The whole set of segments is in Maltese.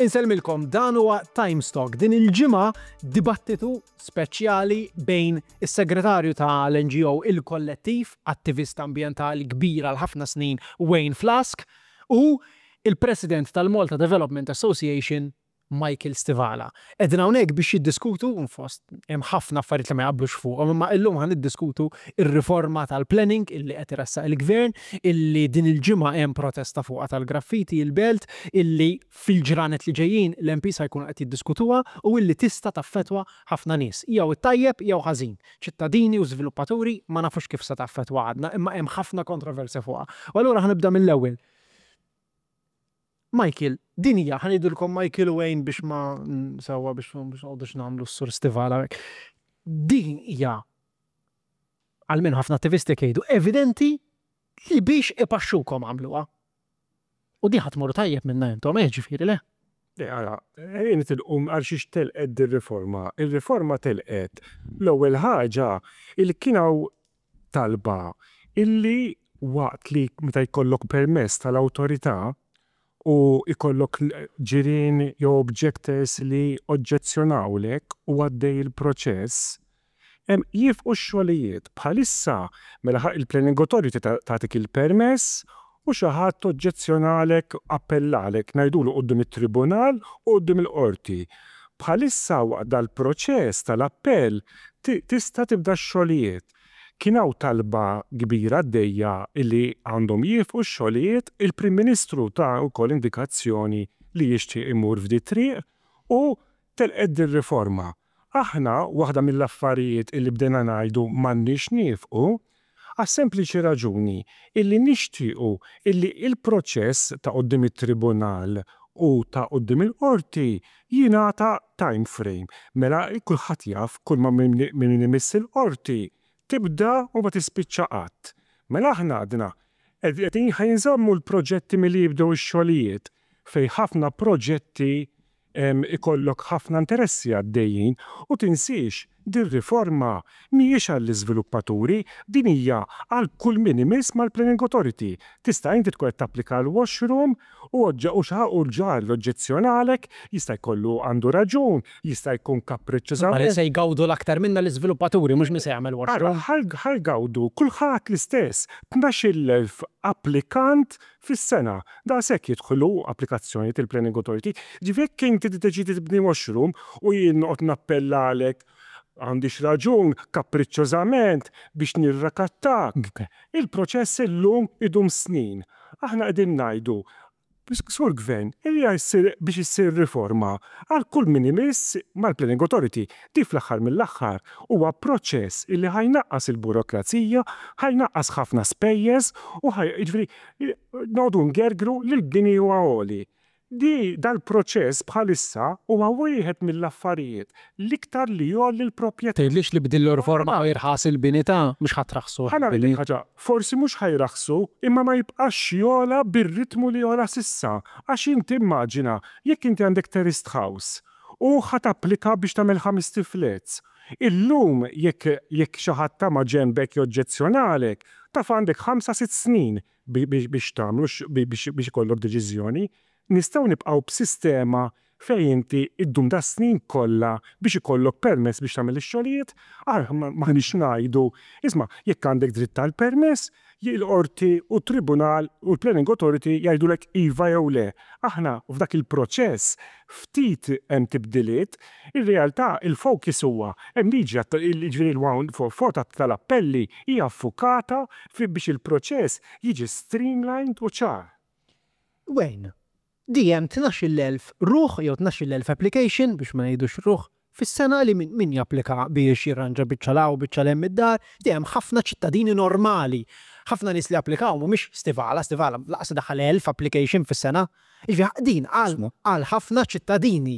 Insellmilkom dan huwa Timestock din il-ġimgħa dibattitu speċjali bejn is-segretarju tal-NGO Il-Kollettiv, attivist ambjentali kbir għal ħafna snin Wayne Flask u il-President tal-Malta Development Association Michael Stivala. Qegħdin hawnhekk biex jiddiskutu, fost hemm ħafna affarijiet li ma jaqblux fuqhom, imma illum ħa niddiskutu r-riforma tal-planning illi qed iressaq il-Gvern, illi din il-ġimgħa hemm protesta fuqha tal-graffiti il-Belt, illi fil-ġranet li ġejjin l-MPs ħa jkunu qed jiddiskutuha u illi tista' taffettwa ħafna nies, jew it-tajjeb jew ħażin. Ċittadini u żviluppaturi ma nafux kif se taffettwa għadna, imma hemm ħafna kontroversja fuqha. U allura ħa nibda mill-ewwel. Michael, din hija, ħa ngħidulkom Michael u Wayne biex ma sewwa biex biex noqogħdux nagħmlu s-sur Stivala hawnhekk. Din hija almenu ħafna attivisti jekk jgħidu, evidenti li biex ipaxxukom għamluha. U din ħa tmorru tajjeb minnha intom, eh ġifieri le? Le, ara, ejja nitilqu għal xiex telqet dir-riforma. Ir-riforma telqet l-ewwel ħaġa illi kien hawn talba illi waqt li meta jkollok permess tal-awtorità u jkollok ġirien jew objectors li oġġezzjonawlek u għaddej il-proċess, jieqfu x-xogħlijiet. Bħalissa mela il-planning authority tagħtik il-permess u xi ħadd oġġezzjonalek, appellalek, ngħidulu quddiem it-tribunal u quddiem il-qorti. Bħalissa waqt dal-proċess tal-appell tista' tibda x-xogħlijiet. Kien hawn talba kbira għaddejja illi għandhom jieqfu x-xogħlijiet, il-Prim Ministru ta wkoll indikazzjoni li jixtieq imur f'di triq u telqet dir-riforma. Aħna waħda mill-affarijiet illi bdejna ngħidu m'għandniex niefqu għas-sempliċi raġuni illi nixtiequ illi il-proċess ta' quddiem it-tribunal u ta' quddiem il-qorti jingħata time frame. Mela kulħadd jaf kull ma min imiss il-qorti tibda u ma tispiċċa qatt. Mela aħna għadna qegħdin ħa jinżammu l-proġetti milli jibdew ix-xogħlijiet fejn ħafna proġetti ikollok ħafna interessi għaddejjin u tinsiex dir-riforma mhijiex għall-iżviluppaturi, din hija għal kull min imiss mal-Planning Authority. Tista' inti tkun qed tapplika l-washroom u u l-ġar oġġezzjonalek, jista' jkollu għandu raġun, jista' jkun kapriċċużament. Ma se jgawdu l-aktar minna l-iżviluppaturi, mhux min se jagħmel washroom. Ħa jgawdu kulħadd l-istess, 12,000 applikant fis-sena. Daqshekk jidħlu applikazzjonijiet il-Planning Authority. Ġifieri jekk inti tiddeċidi tibni washroom u jien noqgħod nappellalek għandix raġun, kapriċċużament biex nirrakattak. Il-proċess illum idum snin. Aħna qegħdin ngħidu Sur Gvern, hija biex issir riforma għal kull min imiss mal-Planning Authority. Di fl-aħħar mill-aħħar huwa proċess illi ħa jnaqqas il-burokrazija, ħa jnaqqas ħafna spejjeż u ħaj jiġifieri noqogħdu ngergru li l-bini huwa għoli. Di dal-proċess bħalissa huwa wieħed mill-affarijiet l-iktar li jgħolli l-proprjetà. Tgħidlix li b'din l-riforma ħa jirħas il-bini ta' mhux ħa traħħsu Ħa ngħidlek ħaġa, forsi mhux ħa jraħħsu, imma ma jibqax jogħla bir-ritmu li jogħla s'issa. Għax inti immaġina, jekk inti għandek terraced house u ħa tapplika biex tagħmel ħamest flats. Illum jekk jekk xi ħadd ta' ma ġenbek joġġezzjonalek, taf għandek 5-6 snin biex tagħmlu biex ikollok deċiżjoni. Nistgħu nibqgħu b'sistema fejn inti iddum da snin kollha biex ikollok permess biex tagħmel ix-xogħlijiet, aħna m'aħniex ngħidu, isma' jekk għandek dritt tal-permess, il-qorti u t-tribunal u l-planning authority jgħidulek iva jew le. Aħna f'dak il-proċess ftit hemm tibdiliet, ir-realtà il-focus huwa hemm liġi ġifieri l-144 tal-appelli hija affukata biex il-proċess jiġi streamlined u ċar. Wayne, DM 12,000 ruħ jew 12,000 application biex ma ngħidux ruħ fis-sena li min, min japplika biex jirranġa biċċa 'l hawn biċċa 'l hemm id-dar, dejjem ħafna ċittadini normali. Ħafna nies li applikaw mhumiex Stivala, Stivala lanqas daħal 1000 application fis-sena. Jiġifieri din għal għal ħafna ċittadini.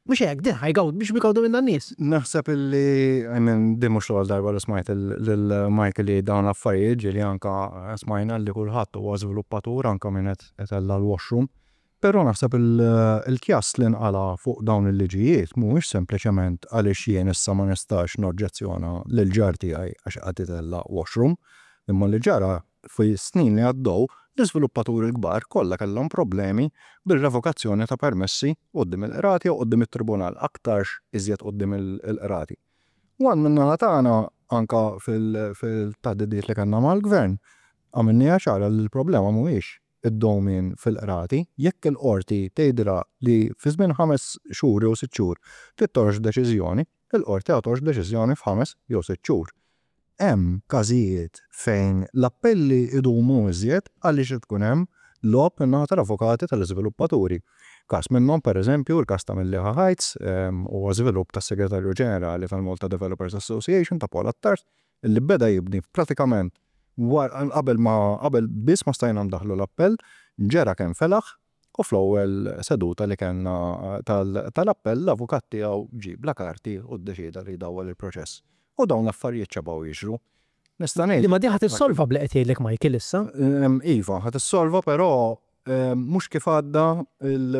Mhux hekk, din ħa jgawdu biex jgawdu minna n-nies. Naħseb illi, I mean, din mhux l-ewwel darba li smajt lil Michael li dawn l-affarijiet ġieli anka smajna li kulħadd huwa żviluppatur anka min qed itella' l-washroom. Però naħseb il-kjass li nqala' fuq dawn il-liġijiet mhuwiex sempliċement għaliex jien issa ma nistax noġġezzjona lill-ġar tiegħi għax qed itella' washroom, imma li ġara fis-snin li għaddew l-iżviluppaturi l-kbar kollha kellhom problemi bir-revokazzjoni ta' permessi quddiem il-qrati jew quddiem it-tribunal, aktarx iżjed quddiem il-qrati. U għal min-naħa tagħna anke fil-taħdidiet li kellna mal-gvern għamilniha ċara li l-problema mhuwiex id-dewmien fil-qrati, jekk il-qorti tgħidilha li fi żmien 5 xhur jew 6 xhur trid toħroġ deċiżjoni, il-qorti ħa toħroġ deċiżjoni f'ħames jew sitt xhur. Hemm każijiet fejn l-appelli jdumu iżjed għaliex tkun hemm logħob min-naħa tal-avukati tal-iżviluppaturi. Każ minnhom pereżempju l-każ ta' Mellieħa Heights huwa żvilupp tas-Segretarju Ġenerali tal-Malta Developers Association ta' Paul Attard illi beda jibni pratikament qabel ma qabel biss ma stajna ndaħħlu l-appell, ġera kemm felaħ u fl-ewwel seduta li kellna tal-appell l-avukat tiegħu ġie bla karti u ddeċieda li jdawwal il-proċess. U dawn l-affarijiet xebgħu jiġru. Nista' ngħid. Imma din ħa tissolva b'li qed jgħidlek Michael issa. Iva, ħa tissolva però mhux kif għadda,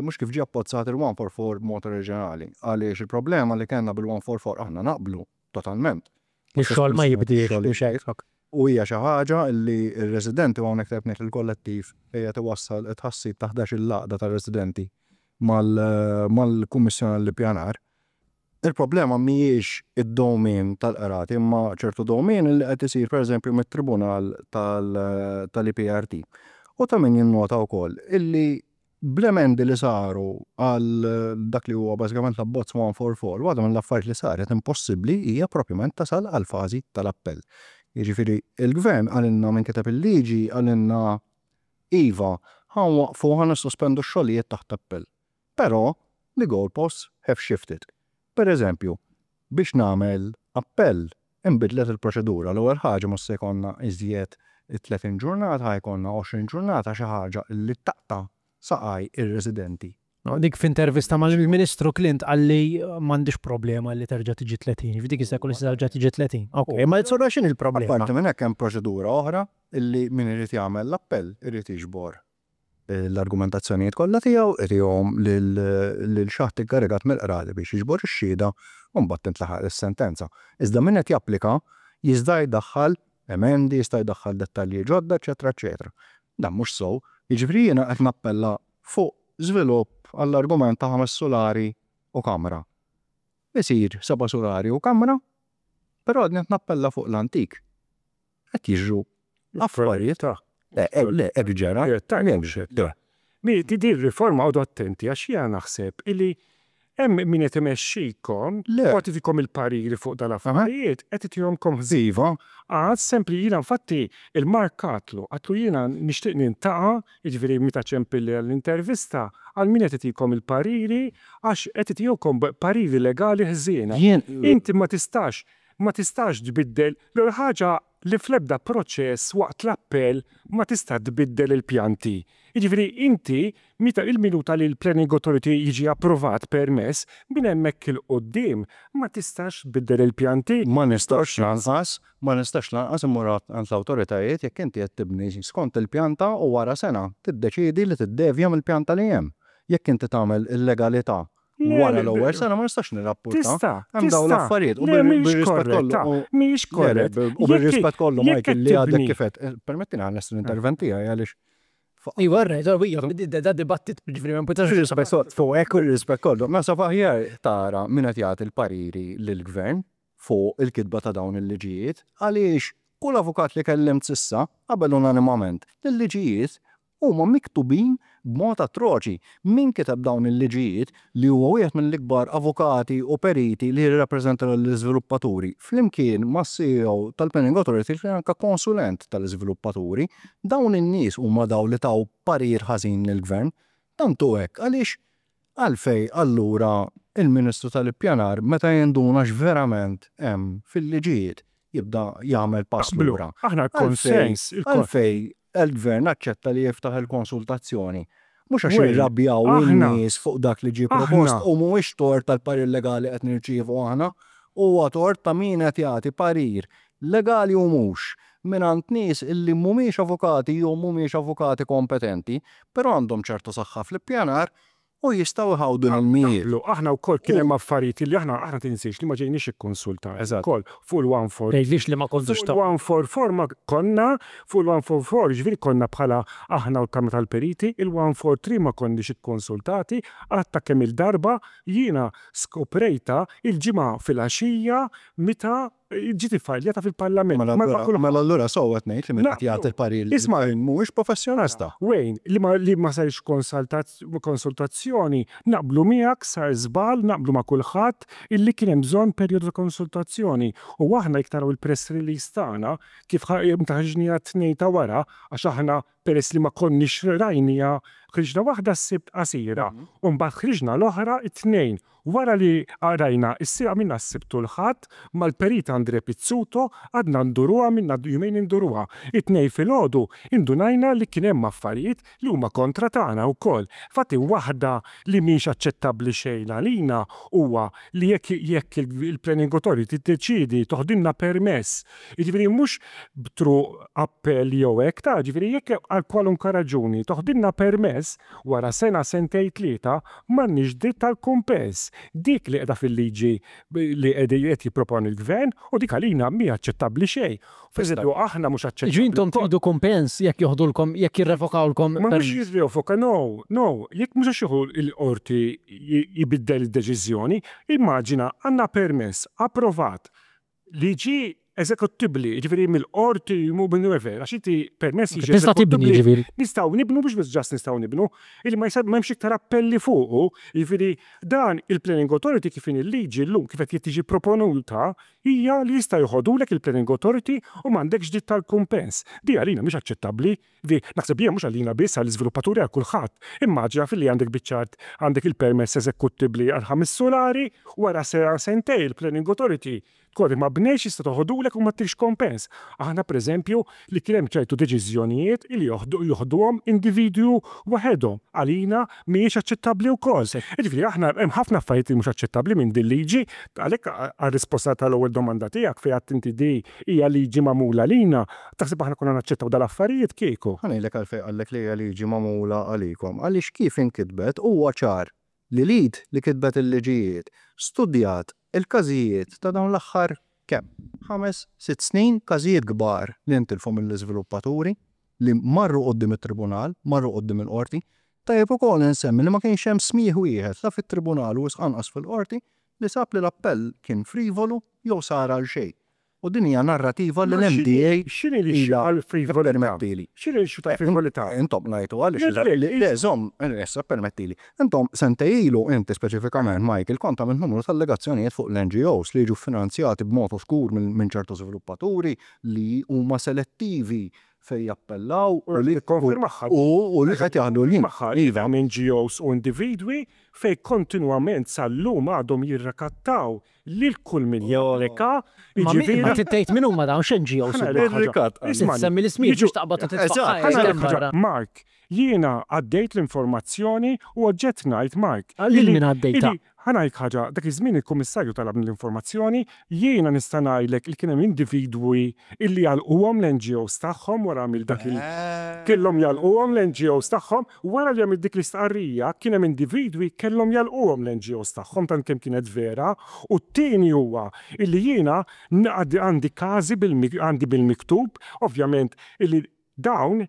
mhux kif ġie abbozzat il-144 b'mod oriġinali. Għaliex il-problema li kellna bil-144 aħna naqblu totalment. Ix-xogħol ma jibdiex. U hija xi ħaġa li r-residenti u hawnhekk tajjeb ngħid il-kollettiv qiegħed iwassal it-tħassib ta' 11-il għaqda ta' residenti mal-Kummissjoni għall-Ippjanar. Il-problema mhijiex id-dewmien tal-qrati imma ċertu dewmien li qed isir pereżempju mit-Tribunal tal-EPRT. U ta' min jinnota wkoll illi bl-emendi li saru għal dak li huwa bażikament l-abbozz 144, waħda mill-affarijiet li saret impossibbli hija propjament tasal għall-fażi tal-appell. Jiġifieri il-gvern qalilna min kiteb il-liġi qalilna iva, ħa nwaqqfu ħa nissospendu x-xogħlijiet taħt appell. Però the goalposts have shifted. Per eżempju, biex nagħmel appell inbidlet il-proċedura. L-ewwel ħaġa mhux se jkollna iżjed 30 ġurnata, ħa jkollna 20 ġurnata xi ħaġa li taqta' saqaj ir-residenti. Dik f'intervista mal-Ministru Clint qalli m'għandix problema li terġa' tiġi 30, f'dik jista' jkun terġa' tiġi 30. Ok, ma allura x'inhi l-problema? Apparti minn hekk hemm proċedura oħra illi min irid jagħmel l-appell irid jiġbor l-argumentazzjonijiet kollha tiegħu, itihom lil xi ħadd inkarigat mill-qrati biex jiġbor ix-xhieda u mbagħad tintlaħaq is-sentenza. Iżda min qed japplika jista' jdaħħal emendi, jista' jdaħħal dettalji ġodda, eċetera, eċetera. Dan mhux sew. Jiġifieri jiena qed nappella fuq żvilupp għall-argument ta' 5 sulari u kamra. Isir 7 sulari u kamra, però għadni qed nappella fuq l-antik. Qed jiġru affarijiet. Le, le, hekk ġara. Mi, di riforma għodu attenti għax jiena naħseb illi hemm min qed imexxikom, u qed itikom il-pariri fuq dal-affarijiet, qed itihomkom ħżin. Iva. Għad sempli jiena infatti il-Mark għatlu, għatlu jiena nixtieq nintaqa', jiġifieri meta ċempilli għall-intervista, għal min qed itikom il-pariri għax qed itihomkom pariri legali ħżiena. Inti ma tistax, ma tistax tbiddel l-ewwel ħaġa li fl-ebda proċess waqt l-appell ma tista' tbiddel il-pjanti. Jiġifieri inti meta il-minuta li l-Planning Authority jiġi approvat permess, minn hemmhekk 'il quddiem ma tistax tbiddel il-pjanti. Ma nistax lanqas, ma nistax lanqas immur għand l-awtoritajiet jekk inti qed tibni skont il-pjanta u wara sena tiddeċiedi li tiddevja mill-pjanta li hemm. Jekk inti tagħmel illegalità wara l-ewwel sena ma nistax nirrapporta. Tista', Hemm dawn tista'. l-affarijiet u Le, mhijiex bir-rispett kollu korretta, u mhijiex Le, le, korrett. u bir-rispett kollu, Jekk Michael, li għadek tibni kif qed, permettini ħa l-intervent tiegħi għaliex Iva, rajt, iva, da dibattit, ġifieri, ma nputax Bir-rispett fuq hekk u r-rispett kollu. Naħseb aħjar tara min qed jagħti l-pariri lill-gvern fuq il-kitba ta' dawn il-liġijiet għaliex kull avukat li kellimt s'issa qabel unanimament l-liġijiet huma miktubin b'mod atroċi. Min kiteb dawn il-liġijiet li huwa wieħed mill-ikbar avukati u periti li jirrappreżenta l-iżviluppaturi flimkien ma' CEO tal-Planning Authority li anka konsulent tal-iżviluppaturi, dawn in-nies huma daw li taw parir ħażin lill-gvern. Tantu hekk għaliex għalfej allura il-Ministru tal-Ippjanar meta jinduna x'verament hemm fil-liġijiet jibda jagħmel pass Naqblu. lura. Aħna l-konsens, Għalfej il-gvern aċċetta li jiftaħ il-konsultazzjoni. Mhux għax Well, irrabjaw aħna in-nies fuq dak li ġie propost aħna u mhuwiex tort tal-parir legali qed nirċievu aħna, huwa tort ta' min qed jagħti parir legali u mhux. mingħand nies illi mhumiex avukati jew mhumiex avukati kompetenti, però għandhom ċertu saħħa fl-ippjanar u jistgħu jħawdu l-ilmijiet. Naqblu, aħna wkoll kien hemm affarijiet li aħna aħna tinsiex li ma ġejniex ikkonsultati wkoll fuq il-144. Tgħidlix li ma kontux Fuq il-144 ma konna, fuq il-144 jiġifieri konna bħala aħna u l-Kamra tal-Periti, il-143 ma konniex ikkonsultati, għadta kemm-il darba jiena skoprejtha il-Ġimgħa filgħaxija meta ġiet iffajljata fil-Parlament. Mela allura mela allura sewwa qed ngħid li min qed jagħti l-parir lill-Gvern mhuwiex professjonista. Wayne, li ma li ma saritx konsultazzjoni, naqblu miegħek sar żball, naqblu ma' kulħadd illi kien hemm bżonn perjodu ta' konsultazzjoni. U aħna jekk taraw il-press release tagħna kif meta ħriġniha t-Tnejn ta' wara, għax aħna peress li ma konniex rajniha, ħriġna waħda s-Sibt qasira u mbagħad ħriġna l-oħra t-Tnejn. Wara li qrajna issir għamilna s-Sibt u l-Ħadd mal-Perit Andre Pizzuto għadna nduruha għamilna jumejn induruha. It-Tnejn filgħodu indunajna li kien hemm affarijiet li huma kontra tagħna wkoll. Infatti waħda li mhix aċċettabbli xejn għalina huwa li jekk jekk il-Planning Authority tiddeċiedi toħdilna permess, jiġifieri mhux through appell jew hekk ta' jiġifieri jekk għal kwalunkwe raġuni toħdilna permess, Wara sena, sentejn, tlieta, m'għandniex dritt għal kumpens. Dik li qiegħda fil-liġi li qed jipproponi l-Gvern u dik għalina mhi aċċettabbli xejn. Pereżempju, aħna mhux aċċettabbli. Jiġifieri intom tridu kumpens jekk joħdulkom, jekk jirrevokawlkom Ma mhux jirrevoka, no, no. Jekk mhux għax jieħu l-qorti jbiddel id-deċiżjoni. Immaġina, għandna permess approvat li ġie eżekuttibbli, jiġifieri mill-qorti u minn whoever, għax inti permess jiġi Tista' tibni jiġifieri. Nistgħu nibnu mhux biss just nistgħu nibnu, illi ma m'hemmx iktar appelli fuqu, jiġifieri dan il-Planning Authority kif inhi l-liġi llum kif qed tiġi proponuta hija li jista' joħodulek il-Planning Authority u m'għandekx dritt għall-kumpens. Di għalina mhix aċċettabbli. Jiġifieri naħseb jien mhux għalina biss, għall-iżviluppaturi għal kulħadd. Immaġina filli għandek biċċa art għandek il-permess eżekuttibbli għal ħames sulari, wara sena sentejn il-Planning Authority Kważi ma bnejtx jista' toħodulek u ma ttikx kompens. Aħna pereżempju li kien hemm ċertu deċiżjonijiet li joħduhom individwi waħedhom. Għalina mhijiex aċċettabbli wkoll. Jiġifieri aħna hemm ħafna affarijiet li mhux aċċettabbli minn din liġi. Għalhekk għar-risposta tal-ewwel domanda tiegħek fejn għedt inti di hija liġi magħmula għalina, taħseb aħna konna naċċettaw dal-affarijiet kieku? Ħa ngħidlek għalfejn qallek li hija liġi magħmula għalikom. Għaliex kif inkitbet huwa ċar li l-id li kitbet il-liġijiet studjat il-każijiet ta' dawn l-aħħar kemm? Ħames, sitt snin, każijiet kbar li ntilfu mill-iżviluppaturi li marru quddiem it-tribunal, marru quddiem il-qorti. Tajjeb ukoll insemmi li ma kienx hemm smigħ wieħed la fit-tribunal u wisq anqas fil-qorti li sab li l-appell kien frivolu jew sar għal xejn. U din hija narrativa li l-MDA ilha ippermettili. X'inhi l-issue tal-frivolità? Intom ngħidu għaliex le żomm, issa ppermettili. Intom sentejn ilu inti speċifikament Michael kont għamilt numru ta' allegazzjonijiet fuq l-NGOs li jiġu ffinanzjati b'mod oskur minn ċertu żviluppaturi li huma selettivi fejn jappellaw u li u li qed jaħdu l-ħin. Iva, hemm NGOs u individwi fejn kontinwament sal-lum għadhom jirrakattaw lil kull min japplika, jiġifieri. Ma trid tgħid min huma dawn x'NGOs huma. Ir-rikatt. Isma' semmi l-ismijiet biex taqbad u titfa' Mark, jiena għaddejt l-informazzjoni u oġġett ngħid Mark. Lil min għaddejtha? Ħa ngħidlek ħaġa, dak iż-żmien il-Kummissarju talabni l-informazzjoni, jiena nista' ngħidlek li kien hemm individwi illi għalquhom l-NGOs tagħhom wara għamilt dak il kellhom jagħlquhom l-NGOs tagħhom Wara li għamilt dik l-istqarrija, kien hemm individwi kellhom jagħlquhom l-NGOs tagħhom tant kemm kienet vera u t-tieni huwa illi jiena għandi każi għandi bil-miktub ovvjament illi dawn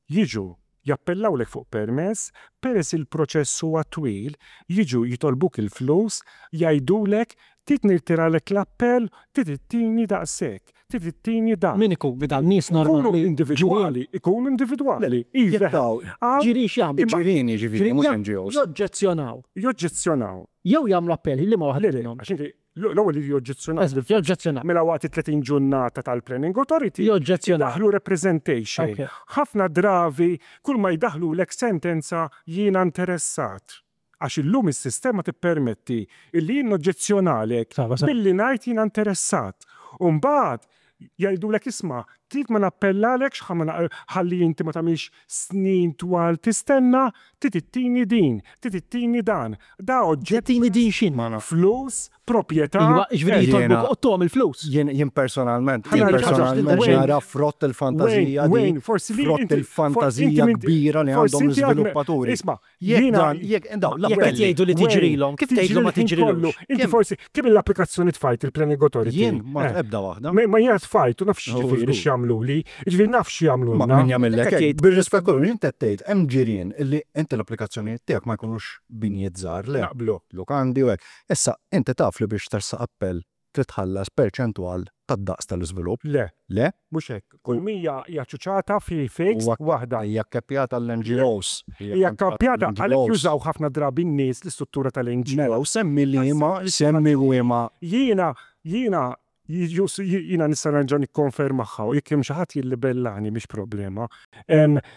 jiġu jappellawlek fuq permess, peress il-proċess huwa twil, jiġu jitolbuk il-flus, jgħidulek trid nirtiralek l-appell, trid ittini daqshekk. Trid ittini dan. Min ikun dan? Nies normali? Ikunu individwali, ikunu individwali. Iva. Ġieli x'jagħmlu? Ġirien jiġifieri, mhux NGOs. Joġġezzjonaw. Joġġezzjonaw. Jew jagħmlu appell, liema waħda minnhom? Le, le, għax inti l-ewwel iridu joġġezzjonaw. Eżatt, joġġezzjonaw. Mela waqt it-30 ġurnata tal-Planning Authority. Joġġezzjonaw. Idaħħlu representation. Ħafna drabi kull ma jdaħħlulek sentenza jiena interessat. Għax illum is-sistema tippermetti illi jien noġġezzjonalek billi ngħid jiena interessat. U mbagħad jgħidulek isma' Trid ma nappellalekx ħalli inti ma tagħmilx snin twal tistenna, trid ittini din, trid ittini dan. Da oġġett. Ittini din x'inhi? Flus, proprjetà. Iva, jiġifieri jitolbuk u ttuhom il-flus. Jien jien personalment, jien personalment nara frott il-fantażija din, frott il-fantażija kbira li għandhom l-iżviluppaturi. Isma', Jekk dan, jekk dawn Jekk qed l-appelli. jgħidu li tiġrilhom, kif tgħidlu ma tiġrilux? Inti forsi kemm l-applikazzjoni tfajt il-Planning Authority? Jien ma ebda waħda. Ma jiena tfajt u naf x'jiġifieri x'jagħmluli. Jiġifieri naf x'jagħmlulna. Ma min jagħmillek hekk. Bir-rispett kollu, inti qed tgħid hemm ġirien illi inti l-applikazzjonijiet tiegħek ma jkunux binjiet żgħar, le. Naqblu. Lukandi u hekk. Issa, inti taf li biex tressaq appell trid tħallas perċentwal tad-daqs tal-iżvilupp. Le. Le? Mhux hekk. Kull 100 hija ċuċata fi fixed waħda. Hija kkeppjata għall-NGOs. Hija kkappjata għalhekk jużaw ħafna drabi n-nies l-istruttura tal-NGO. Mela, u semmi liema, semmi liema. Jiena, jiena, jiena nista' nerġa' nikkonfermaha u jekk hemm xi ħadd jillibellani mhix problema.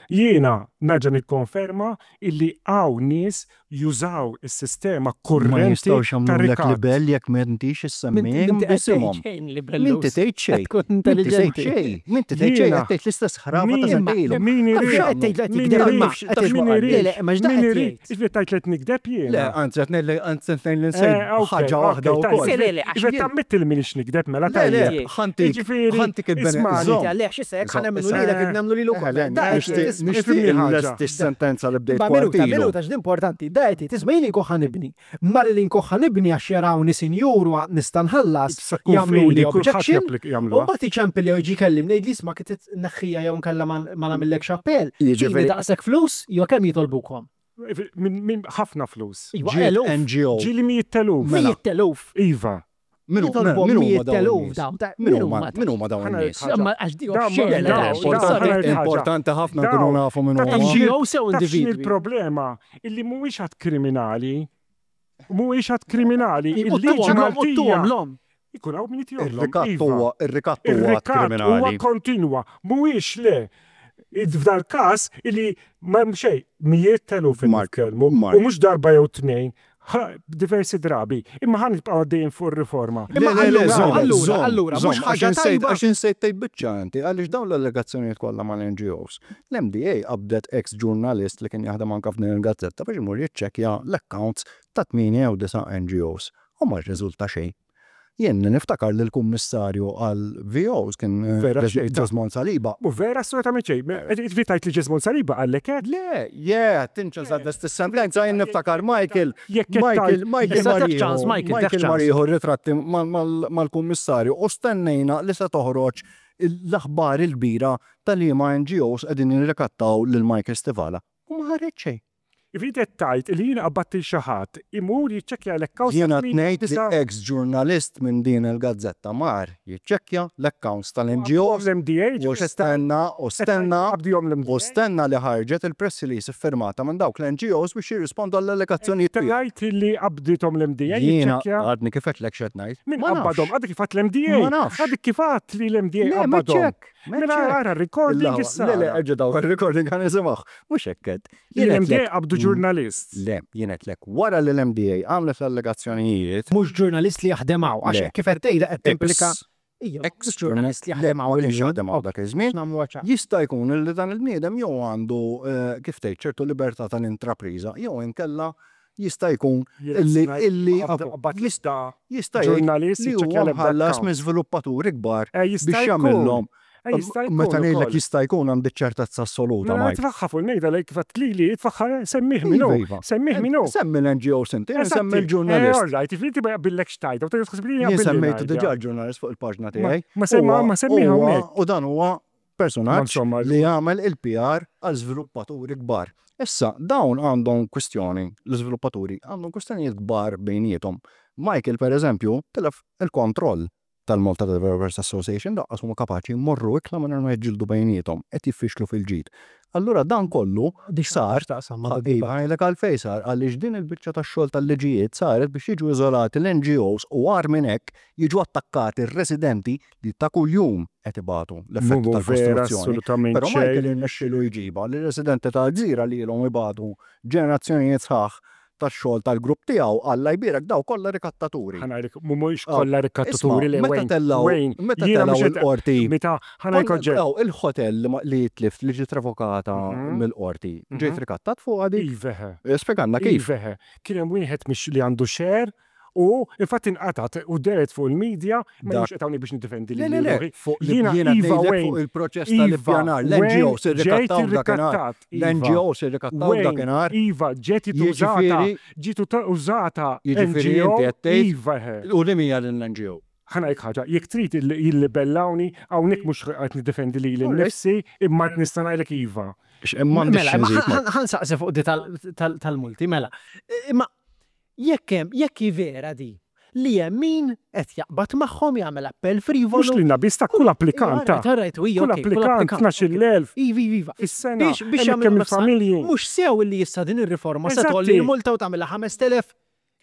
Jiena nerġa' nikkonferma illi hawn nies jużaw is-sistema Ma kurrenti jistgħux ta' jagħmlulek rikat. libell jekk m'intix issemmihom M'inti qed tgħid b'isimhom. xejn M'inti libelluż. tgħid xejn. Qed tkun M'inti tgħid intelliġenti. xejn. M'inti tgħid xejn, Jiena qed tgħid l-istess ħrafa ta' min sentejn ilu. min Taf irid x'għamlu? Qed tgħid li qed min jikdeb irid imma Taf qed x'ma min qalli? Le, irid le, imma x'da min qed irid jgħid? Jiġifieri tgħid li qed nikdeb Le, jiena? anzi qed ngħid li anzi qed ngħid li Eh, nsejt ok, ħaġa ok, waħda tajjeb. wkoll. Le, le, le, għax Jiġifieri jien tammetti li m'iniex nikdeb mela Le, le, tajjeb. ħantik Jiġifieri ħantik il-bene ismagħni. żomm. Inti għalih x'issa jekk ħa Żomm, nemmnu issa. lilek nemmnu lilu Eh, wkoll. le, Da qed nixtieq jgħid, isma'. nixtieq Ifhimni ħaġa. nlesti s-sentenza li bdejt Ma minuta, kwart ilu. minuta, x'di importanti. Da qed jgħid, isma' jien inkun ħa nibni. Malli li nkun ħa nibni għax jarawni sinjur u nista' nħallas, Issa tkun jagħmlu f'idi li kulħadd objection. japplika U jagħmluha. mbagħad iċempel jew jiġi jkellimni jgħidli isma' kif tneħħija jew inkella ma ma nagħmillekx appell. Tini Jiġifieri daqshekk flus jew kemm jitolbukom? Min min ħafna flus. Iva, ġiet eluf. NGO. Ġieli mijiet t'eluf. Mela. Mijiet t'eluf. Iva. Min hu- Jitolbuhom min huma mijiet dawn t'eluf in-nies? dawn. ta' Min Min huma huma min huma dawn Ħa ngħid in-nies? ħaġa. Ma għax di Dawn oxxena, dawn dawn ħa Importanti ngħid ħaġa. importanti ħafna nkunu Dawn nafu min ta' huma. taf x'inhi NGO sew taf x'inhi individwi. l-problema illi mhuwiex att kriminali. Mhuwiex att kriminali. Il-liġi Uttuhom Maltija l-om. ikun hawn min jitihomlhom. Ir-rikatt Iva. huwa ir-rikatt huwa att Ir-rikatt huwa kriminali. kontinwa, mhuwiex le. F'dal każ illi m'hemm xejn, mijiet t'eluf qed Mark, nitkellmu u Mark. mhux darba jew tnejn, diversi drabi. Imma ħa nibqgħu għaddejjin fuq ir-riforma. Le, Imma le, le, allura, żomm, allura, żomm, allura, mhux żomm, għax ħaġa insejt tajba. għax insejt tgħid biċċa inti, għaliex dawn l-allegazzjonijiet kollha mal-NGOs. L-MDA qabdet ex ġurnalist li kien jaħdem anke f'din il-gazzetta biex imur jiċċekkja l-accounts ta' 8 jew 9 NGOs u ma rriżulta xejn. Jien niftakar li l-kummissarju għal VOs kien Vera xejn ta' Jesmond Saliba. U vera assolutament xejn. Ġifieri tgħid li Jesmond Saliba qallek hekk? Le, yeah, tinċa żgħad is-sentenza jien niftakar Michael, Jekk qed Michael, tgħid Michael Issa dak Marieħu, ċans, Michael, dak Michael ċans. Marieħu ritratti mal-kummissarju u stennejna li se toħroġ l-aħbar il-kbira tal-liema NGOs qegħdin jirrikattaw lil Michael Stivala. U ma ħareġ xejn. Jiġifieri qed tgħid li jiena qabbadt lil xi ħadd imur jiċċekkja l-accounts ta' Jiena tmien ngħid li disa' ex ġurnalist minn din il-gazzetta mar jiċċekkja l-accounts tal-NGOs l-MDA u stenna u stenna qabdihom u l-MDA. stenna li ħarġet il-press release iffirmata minn dawk l-NGOs biex jirrispondu għall-allegazzjonijiet tiegħu. Tgħid li qabdithom l-MDA Jiena jiċċekkja għadni kif għedtlek x'qed ngħid. Min Ma qabbadhom? nafx. Għadek kif għadt l-MDA. Ma nafx. Għadek kif għadt li l-MDA Le, ma qabbadhom. ċek. Mela ara recording issa. Le, le, erġa' daw il-recording għan nisimgħu. Mhux hekk għedt. Jien L-MDA għedtlek- qabdu ġurnalist. Le, jien għedtlek wara li l-MDA għamlet l-allegazzjonijiet. Mhux ġurnalist li jaħdem hawn, għax Le. kif qed tgħidha qed timplika. Ex Ija, ex ġurnalist li Le, jaħdem hawn. ma kienx jaħdem hawn dak iż-żmien. Nagħmlu ċar. Jista' jkun li dan il-bniedem jew għandu eh, kif tgħid ċertu libertà tal-intrapriża jew inkella jista' jkun illi illi Qabad jista' jista' jgħid ġurnalist li jiċċekkja huwa l-ebda mħallas account. minn żviluppaturi kbar Eh, jista' biex jkun. jagħmilhom. Eh, jista' jkun Meta ngħidlek ukoll. jista' jkun għandi ċertezza assoluta, Mela Mike. tfaħħa fuq il-mejda lejk fatt lili, tfaħħa semmih minnu. Iva, iva. Semmih minnu. Semmi l-NGO sinti, semmi Eżatti. Eh, l-ġurnalist. all right, inti ma jaqbillekx tajda, u tgħid li Jien jaqbilli semmejtu ngħidha. diġà l-ġurnalist fuq il-paġna tiegħi. Ma semma Huwa- ma semmiha huwa- hawnhekk. U dan huwa Ma personaġġ insomma, li jagħmel il-PR għal żviluppaturi kbar. Issa, dawn għandhom kwistjoni, l-iżviluppaturi għandhom kwistjonijiet kbar bejniethom. Michael, per eżempju, tilef il-kontroll tal-Malta Developers Association daqqas huma kapaċi jmorru ikla mingħajr ma jiġġieldu bejniethom, qed jiffixlu fil-ġid. Allura dan kollu sar Taqsam ma' Iva, ngħidlek għalfejn sar, għaliex din il-biċċa tax-xogħol tal-liġijiet saret biex jiġu iżolati l-NGOs u agħar minn hekk jiġu attakkati r-residenti li ta' kuljum qed ibatu l-effetti Mhu vera tal-kostruzzjoni. assolutament Però xejn. Michael irnexxielu jġibha li r-residenti tal-gżira li ilhom ibatu ġenerazzjonijiet sħaħ tax-xogħol tal-grupp tiegħu, Alla jbierek daw kollha rikattaturi. Ħa ngħidlek, mhumiex kollha rikattaturi le Wayne. Meta meta telgħu l-qorti. Meta ħa ngħidlek oġġett. Il-hotel li tlift li ġiet revokata mill-qorti, ġejt rikattat fuqha dik? Iva eħe. Spjegalna kif. Iva eħe. Kien hemm wieħed li għandu share U infatti inqatgħet u dehret fuq il-media, ma mhux qed hawnhekk biex niddefendi lili Le, le, le, fuq jiena iva fuq il-proċess tal-ippjanar, l-NGOs irrikattaw dakinhar. L-NGOs irrikattaw dakinhar. Iva, ġiet użata, ġiet użata Jiġifieri inti qed tgħid. Iva. U li hija din l-NGO? Ħa ngħidlek ħaġa, jekk trid jillibellawni, hawnhekk mhux qed niddefendi lili nnifsi, imma nista' ngħidlek iva. Mela, ħa nsaqsi fuq di tal-multi, mela. Imma Jekk hemm, jekk hi vera di, li hemm min qed jaqbad magħhom jagħmel appell frivolu. Mhux lilna biss ta' kull applikant ta'. All right, all right, Kull applikant 12,000. Iva, iva, iva. Fis-sena. Biex, biex jagħmel kemm il-familji. Mhux sew illi issa din ir-riforma se tgħolli l-multa u tagħmilha 5,000.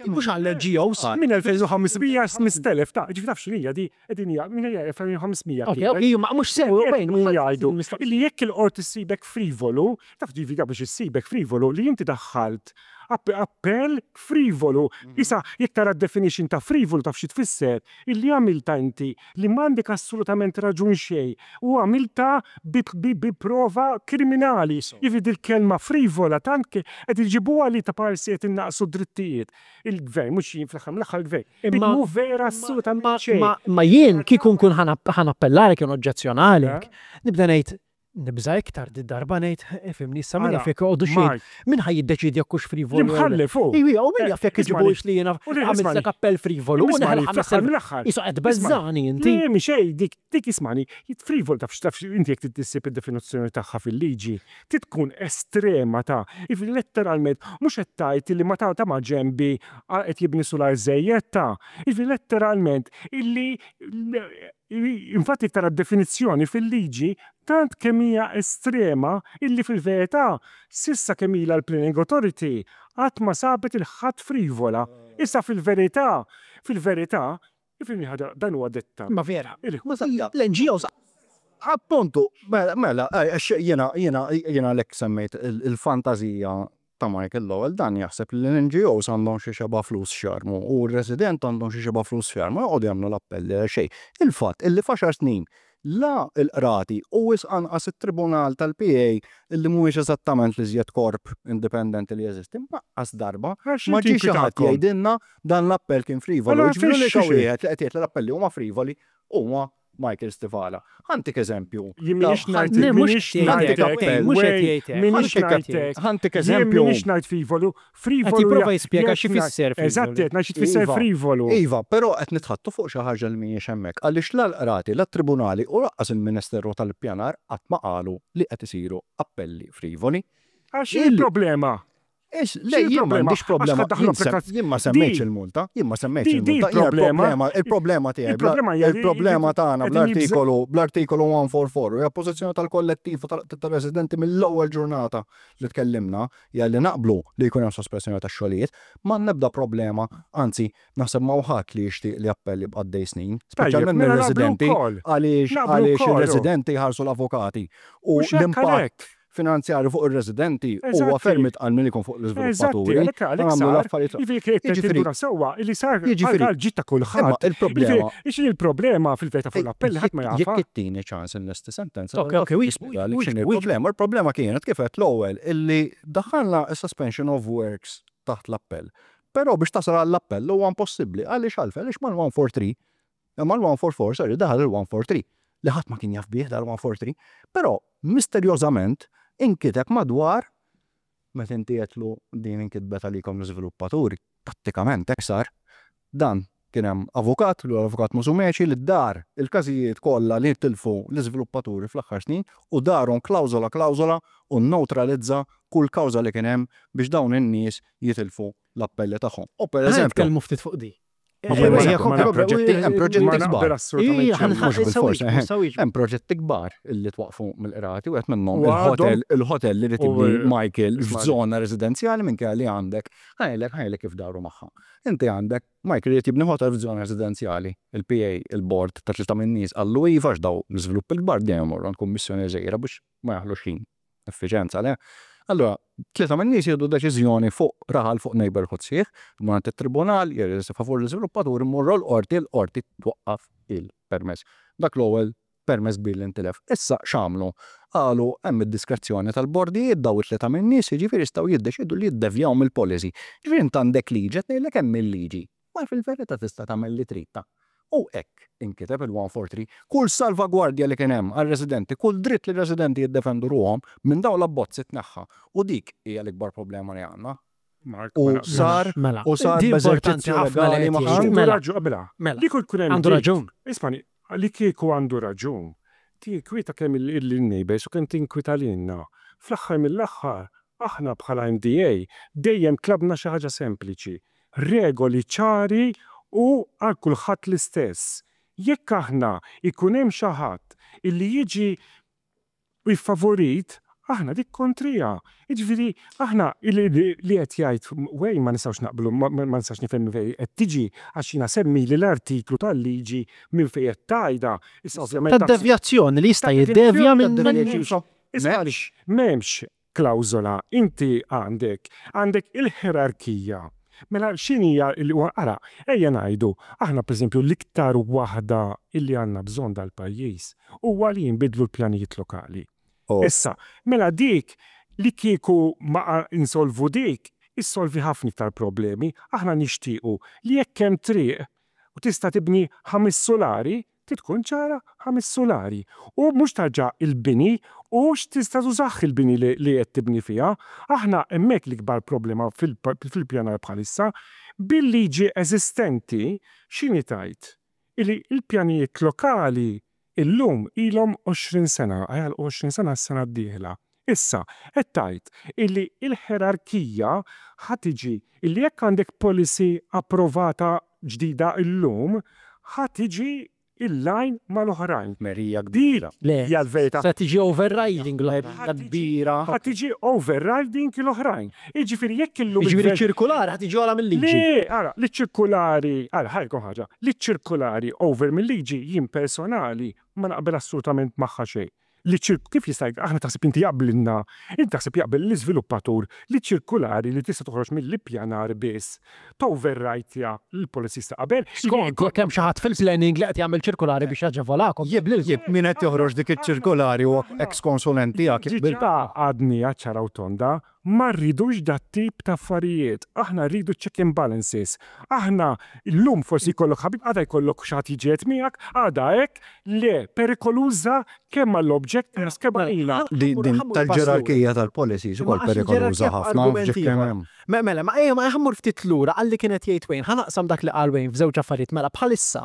Mhux għall-NGOs. Minn 2,500 sa 5,000 ta' ġifieri taf x'inhija di, qegħdin jgħidu, minn 2,500. Ok, ok, ma mhux sew, wejn. Jgħidu illi jekk il-qorti ssibek frivolu, taf ġifieri biex issibek frivolu li inti daħħalt Appell frivolu. Issa, jekk tara d-definition ta' frivolu taf xi tfisser? Illi għamiltha inti li m'għandek assolutament raġun xejn u għamiltha bi prova kriminali. Jiġifieri dil-kelma frivola tant qed iġibuha li ta' parsi qed innaqqsu d-drittijiet. Il-Gvern, mhux jien fl-aħħar mill-aħħar il-Gvern. Imma mhu vera assolutament xejn. Imma jien kieku nkun ħa nappellalek jew noġġezzjonalek, nibda ngħid Nibża' iktar did-darba ngħid, ifhimni issa min jaf jekk joqogħdu xi min ħa jiddeċiedi jekk hux frivolu. L-imħallef hu. Iwa, u min jaf jekk iġibuhiex li jiena għamiltlek appell frivolu u neħel 5000. Qisu qed tbeżżagħni inti. Le mhi xejn dik, dik ismagħni, frivolu taf x'taf inti jekk trid issib id-definizzjoni tagħha fil-liġi, trid tkun estrema ta' jiġifieri letteralment mhux qed tgħid illi ma ta' ta' maġenbi qed jibni sular żejjed ta' jiġifieri letteralment illi Infatti jekk tara d-definizzjoni fil-liġi tant kemm hija estrema illi fil-verità s'issa kemm ilha l-Planning Authority qatt ma sabet il-ħadd frivola. Issa fil-verità, fil-verità, ifhimni ħaġa, dan huwa dettall. Imma vera, l-NGOs. Appuntu, mela, għax jiena, jiena, jiena għalhekk semmejt il-fantażija ta' Michael Lowell dan jaħseb li l-NGOs għandhom xi xebgħa flus x'jarmu u r-resident għandhom xi xebgħa flus x'jarmu joqogħdu jagħmlu l-appelli għal xejn. Il-fatt illi f'għaxar snin la l-qrati u wisq anqas it-tribunal tal-PA illi mhuwiex eżattament l-iżjed korp indipendenti li jeżisti lanqas darba ma ġie xi ħadd jgħidilna dan l-appell kien frivolu. Jiġifieri l-unika wieħed li qed jgħid li l-appelli huma frivoli huwa Michael Stivala. Ħa ntik eżempju. Jien m'iniex ngħid, m'iniex ngħidlek, m'iniex ngħidlek. Ħa ntik eżempju. Jien m'iniex ngħid frivolu. Frivolu. Qed jipprova jispjega xi jfisser frivolu. Eżatt, qed ngħid xi tfisser frivolu. Iva, però qed nitħaddtu fuq xi ħaġa li mhijiex hemmhekk għaliex la l-qrati, la t-tribunali u lanqas il-Ministeru tal-Ippjanar qatt ma qalu li qed isiru appelli frivoli. Għax x'inhi l-problema? Le, jien m'għandix problema. Jien ma semmejtx il-multa. Jien ma semmejtx il-multa. Il-problema, il-problema tiegħi. Il-problema tagħna bl-artikolu, bl-artikolu 144 hija pożizzjoni tal-kollettiv u tar-residenti mill-ewwel ġurnata li tkellimna hija li naqblu li jkun hemm sospensjoni tax-xogħlijiet. M'għandna ebda problema, anzi, naħseb m'hawn ħadd li jixtieq li appell jibqa' għaddej snin, speċjalment mir-residenti għaliex għaliex ir-residenti jħallsu l-avukati u l-impatt finanzjarju fuq ir-residenti huwa ferm itqal milli jkun fuq l-iżviluppaturi. Eżatti, għalhekk sar. Jiġifieri jekk qed tinduna sewwa li sar għall-ġid ta' kulħadd. Il-problema. X'inhi l-problema fil-verità fuq l-appelli ħadd ma jafha. Jekk ittini ċans inlesti sentenza. Ok, ok, nispjegalek x'inhi l-problema. Il-problema kienet kif għedt l-ewwel illi daħħalna s-suspension of works taħt l-appell. Però biex tasal għall-appell huwa impossibbli. Għaliex għalfejn? Għaliex mal-143 Imma l-144, sorry, daħal il-143, li ħadd ma kien jaf bih dal-143, però misterjożament inkiteb madwar meta inti għedtlu din inkitbet għalikom l-iżviluppaturi, prattikament hekk sar. Dan kien hemm avukat, li huwa l-avukat Musumeci, li dar il-każijiet kollha li tilfu l-iżviluppaturi fl-aħħar snin u darhom klawżola klawżola u nnewtralizza kull kawża li kien hemm biex dawn in-nies jitilfu l-appelli tagħhom. U pereżempju. Ħa nitkellmu ftit fuq di. Hemm proġetti kbar. Hemm proġetti kbar illi twaqqfu mill-qrati wieħed minnhom il-hotel il-hotel li rid jibni Michael f'żona residenzjali minkejja li għandek ħa ngħidlek ħa ngħidlek kif daru magħha. Inti għandek Michael irid jibni hotel f'żona residenzjali. Il-PA, il-bord ta' tlieta min-nies qallu iva għax dawn l-iżviluppi l-kbar dejjem imorru għand kummissjoni żgħira biex ma jaħlux ħin. Effiċenza, le? Allura, tlieta min-nies jieħdu deċiżjoni fuq raħal fuq neighborhood sħiħ, imur għand it-tribunal, jirreżisti favur l-iżviluppatur, imorru l-qorti, l-qorti twaqqaf il-permess. Dak l-ewwel permess kbir li ntilef. Issa x'għamlu? Qalu hemm id-diskrezzjoni tal-bordijiet daw it-tlieta min-nies, jiġifieri jistgħu jiddeċiedu li jiddevjaw mill-policy. Jiġifieri int għandek liġi qed ngħidlek hemm il-liġi. Ma fil-verità tista' tagħmel li trid ta'. U hekk inkiteb il-143. Kull salvagwardja li kien hemm għar-residenti, kull dritt li r-residenti jiddefendu ruħhom minn dawn l-abbozzi tneħħa. U dik hija l-ikbar problema li għandna. U sar Mela, u sar di importanti b'eżerċizzju ħafna li legali qed jgħid. maħsub. Għandu Mela, raġun, mela, mela, li kieku jkun hemm għandu dik, raġun. ismani, li kieku għandu raġun, tinkwita kemm il-neighbors u kemm tinkwita lilna. Fl-aħħar mill-aħħar, aħna bħala MDA dejjem tlabna xi ħaġa sempliċi, regoli ċari u għal kulħadd l-istess. Jekk aħna ikun hemm xi ħadd illi jiġi iffavorit, aħna dik kontrija. Jiġifieri aħna li qed jgħid Wayne ma nistgħux naqblu, ma nistax nifhem minn fejn qed tiġi għax jiena semmili l-artiklu tal-liġi minn fejn qed tgħidha. Issa ovvjament Tad-devjazzjoni li jista' jiddevja minn Issa m'hemmx klawżola, inti għandek għandek il-ħerarkija. Mela x'inhija ara, ejja ngħidu, aħna pereżempju l-iktar waħda illi għandna bżonn dal-pajjiż huwa li jinbidlu l-pjanijiet lokali. Issa, mela dik li kieku ma insolvu dik, issolvi ħafna iktar problemi. Aħna nixtiequ li jekk hemm triq u tista' tibni 5 sulari, trid tkun ċara 5 sulari. U mhux tarġa' il-bini u x'tista' tużah il-bini li qed tibni fiha. Aħna hemmhekk l-ikbar problema fil-pjanar bħalissa bil-liġi eżistenti x'inhi tgħid? Illi l-pjanijiet lokali illum ilhom 20 sena, għalqu 20 sena s-sena d-dieħla. Issa, qed tgħid illi l-ħerarkija ħa tiġi illi jekk għandek policy approvata ġdida illum, ħa tiġi il-line mal-oħrajn. Merija Dik kbira. Le, hija l-verità. se tiġi overriding l-oħrajn. Kbira. Ħa tiġi overriding l-oħrajn. Jiġifieri jekk illum Jiġifieri il-gvern ċirkulari ħa tiġi ogħla mill-liġi. Le, ara, li ċirkulari, ara, ħajkom ħaġa, li ċirkulari over mill-liġi jien personali ma naqbel assolutament magħha xejn. Li kif jista' aħna taħseb inti jaqblilna, inti taħseb jaqbel l-iżviluppatur li ċirkulari li tista' toħroġ mill-ippjanar biss toverrajtja l-policies ta' qabel. Skont, jekk hemm xi ħadd fil-planning li qed jagħmel ċirkulari biex jaġevolakom, jaqblilkom. Jekk min qed joħroġ dik iċ-ċirkulari huwa ex-konsulent tiegħek jaqbel. Diġà għadniha ċara u tonda, ma rridux dat tip ta' affarijiet. Aħna rridu check and balances. Aħna llum forsi jkollok ħabib, għada jkollok xi ħadd jiġi miegħek, għada hekk, le, perikoluża kemm għall-objectors kemm għalina. Din tal-ġerarkija tal-policies ukoll perikoluża ħafna. Mela, ma ejja ma ħa mmur ftit lura għalli kienet jgħid Wayne, ħa naqsam dak li qal Wayne f'żewġ affarijiet. Mela bħalissa,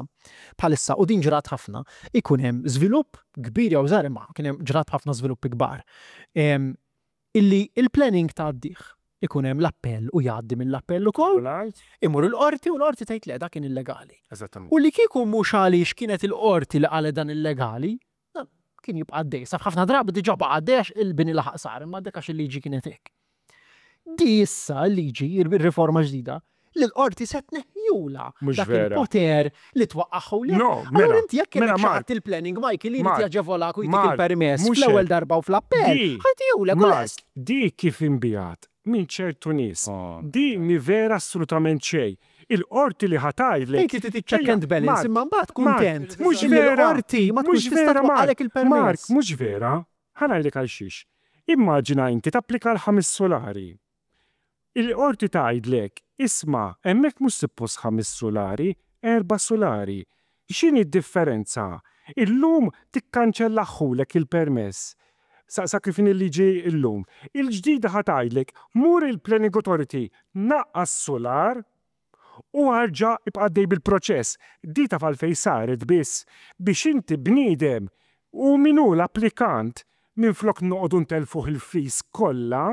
bħalissa u din ġrat ħafna, ikun hemm żvilupp kbir jew żgħar imma kien hemm ġrat ħafna żviluppi kbar. Illi il-planning tgħaddih ikun hemm l-appell u jgħaddi mill-appell ukoll, imur il-qorti u l-qorti tgħid le dak kien illegali. Eżattament. U li kieku mhux għaliex kienet il-qorti li qalet dan illegali, dan kien jibqa' għaddej. Sa ħafna drabi diġà baqa' għaddej għax il-bini laħaq sar, imma dik għax il-liġi kienet hekk. Di issa l-liġi, ir-riforma ġdida, li l-qorti se tneħħjula Mhux dak vera. il-poter li twaqqaħu li. No, Allura mela, inti jekk mela, kellek xi Mark, ħadd il-planning Michael li jrid Mark, jaġevolak u jtik Mark, il-permess mhux fl-ewwel hekk. darba u fl-appell, Di, ħatijulek u Mark, lest. di kif imbijat minn ċertu nies. Di mi vera assolutament xejn. Il-qorti li ħa tgħidlek. Inti trid check and balance imma mbagħad kuntent. Mhux Illi vera. L-qorti ma tkunx Mhux tista' vera, Mark. twaqqalek il-permess. Mark, mhux vera. Ħa ngħidlek għal xiex. Immaġina inti tapplika l-5 sulari. Il-qorti tgħidlek, isma', hemmhekk mhux suppost 5 sulari, 4 sulari. X'inhi d-differenza? Illum tikkanċellaħulek il-permess. Sa kif il-liġi illum. Il-ġdida ħa tgħidlek, mur il-Planning Authority, naqqas solar u arġa' ibqa' għaddej bil-proċess. Di taf għalfejn saret biss biex inti bniedem u min hu l-applikant minflok noqogħdu ntelfuh il-fees kollha,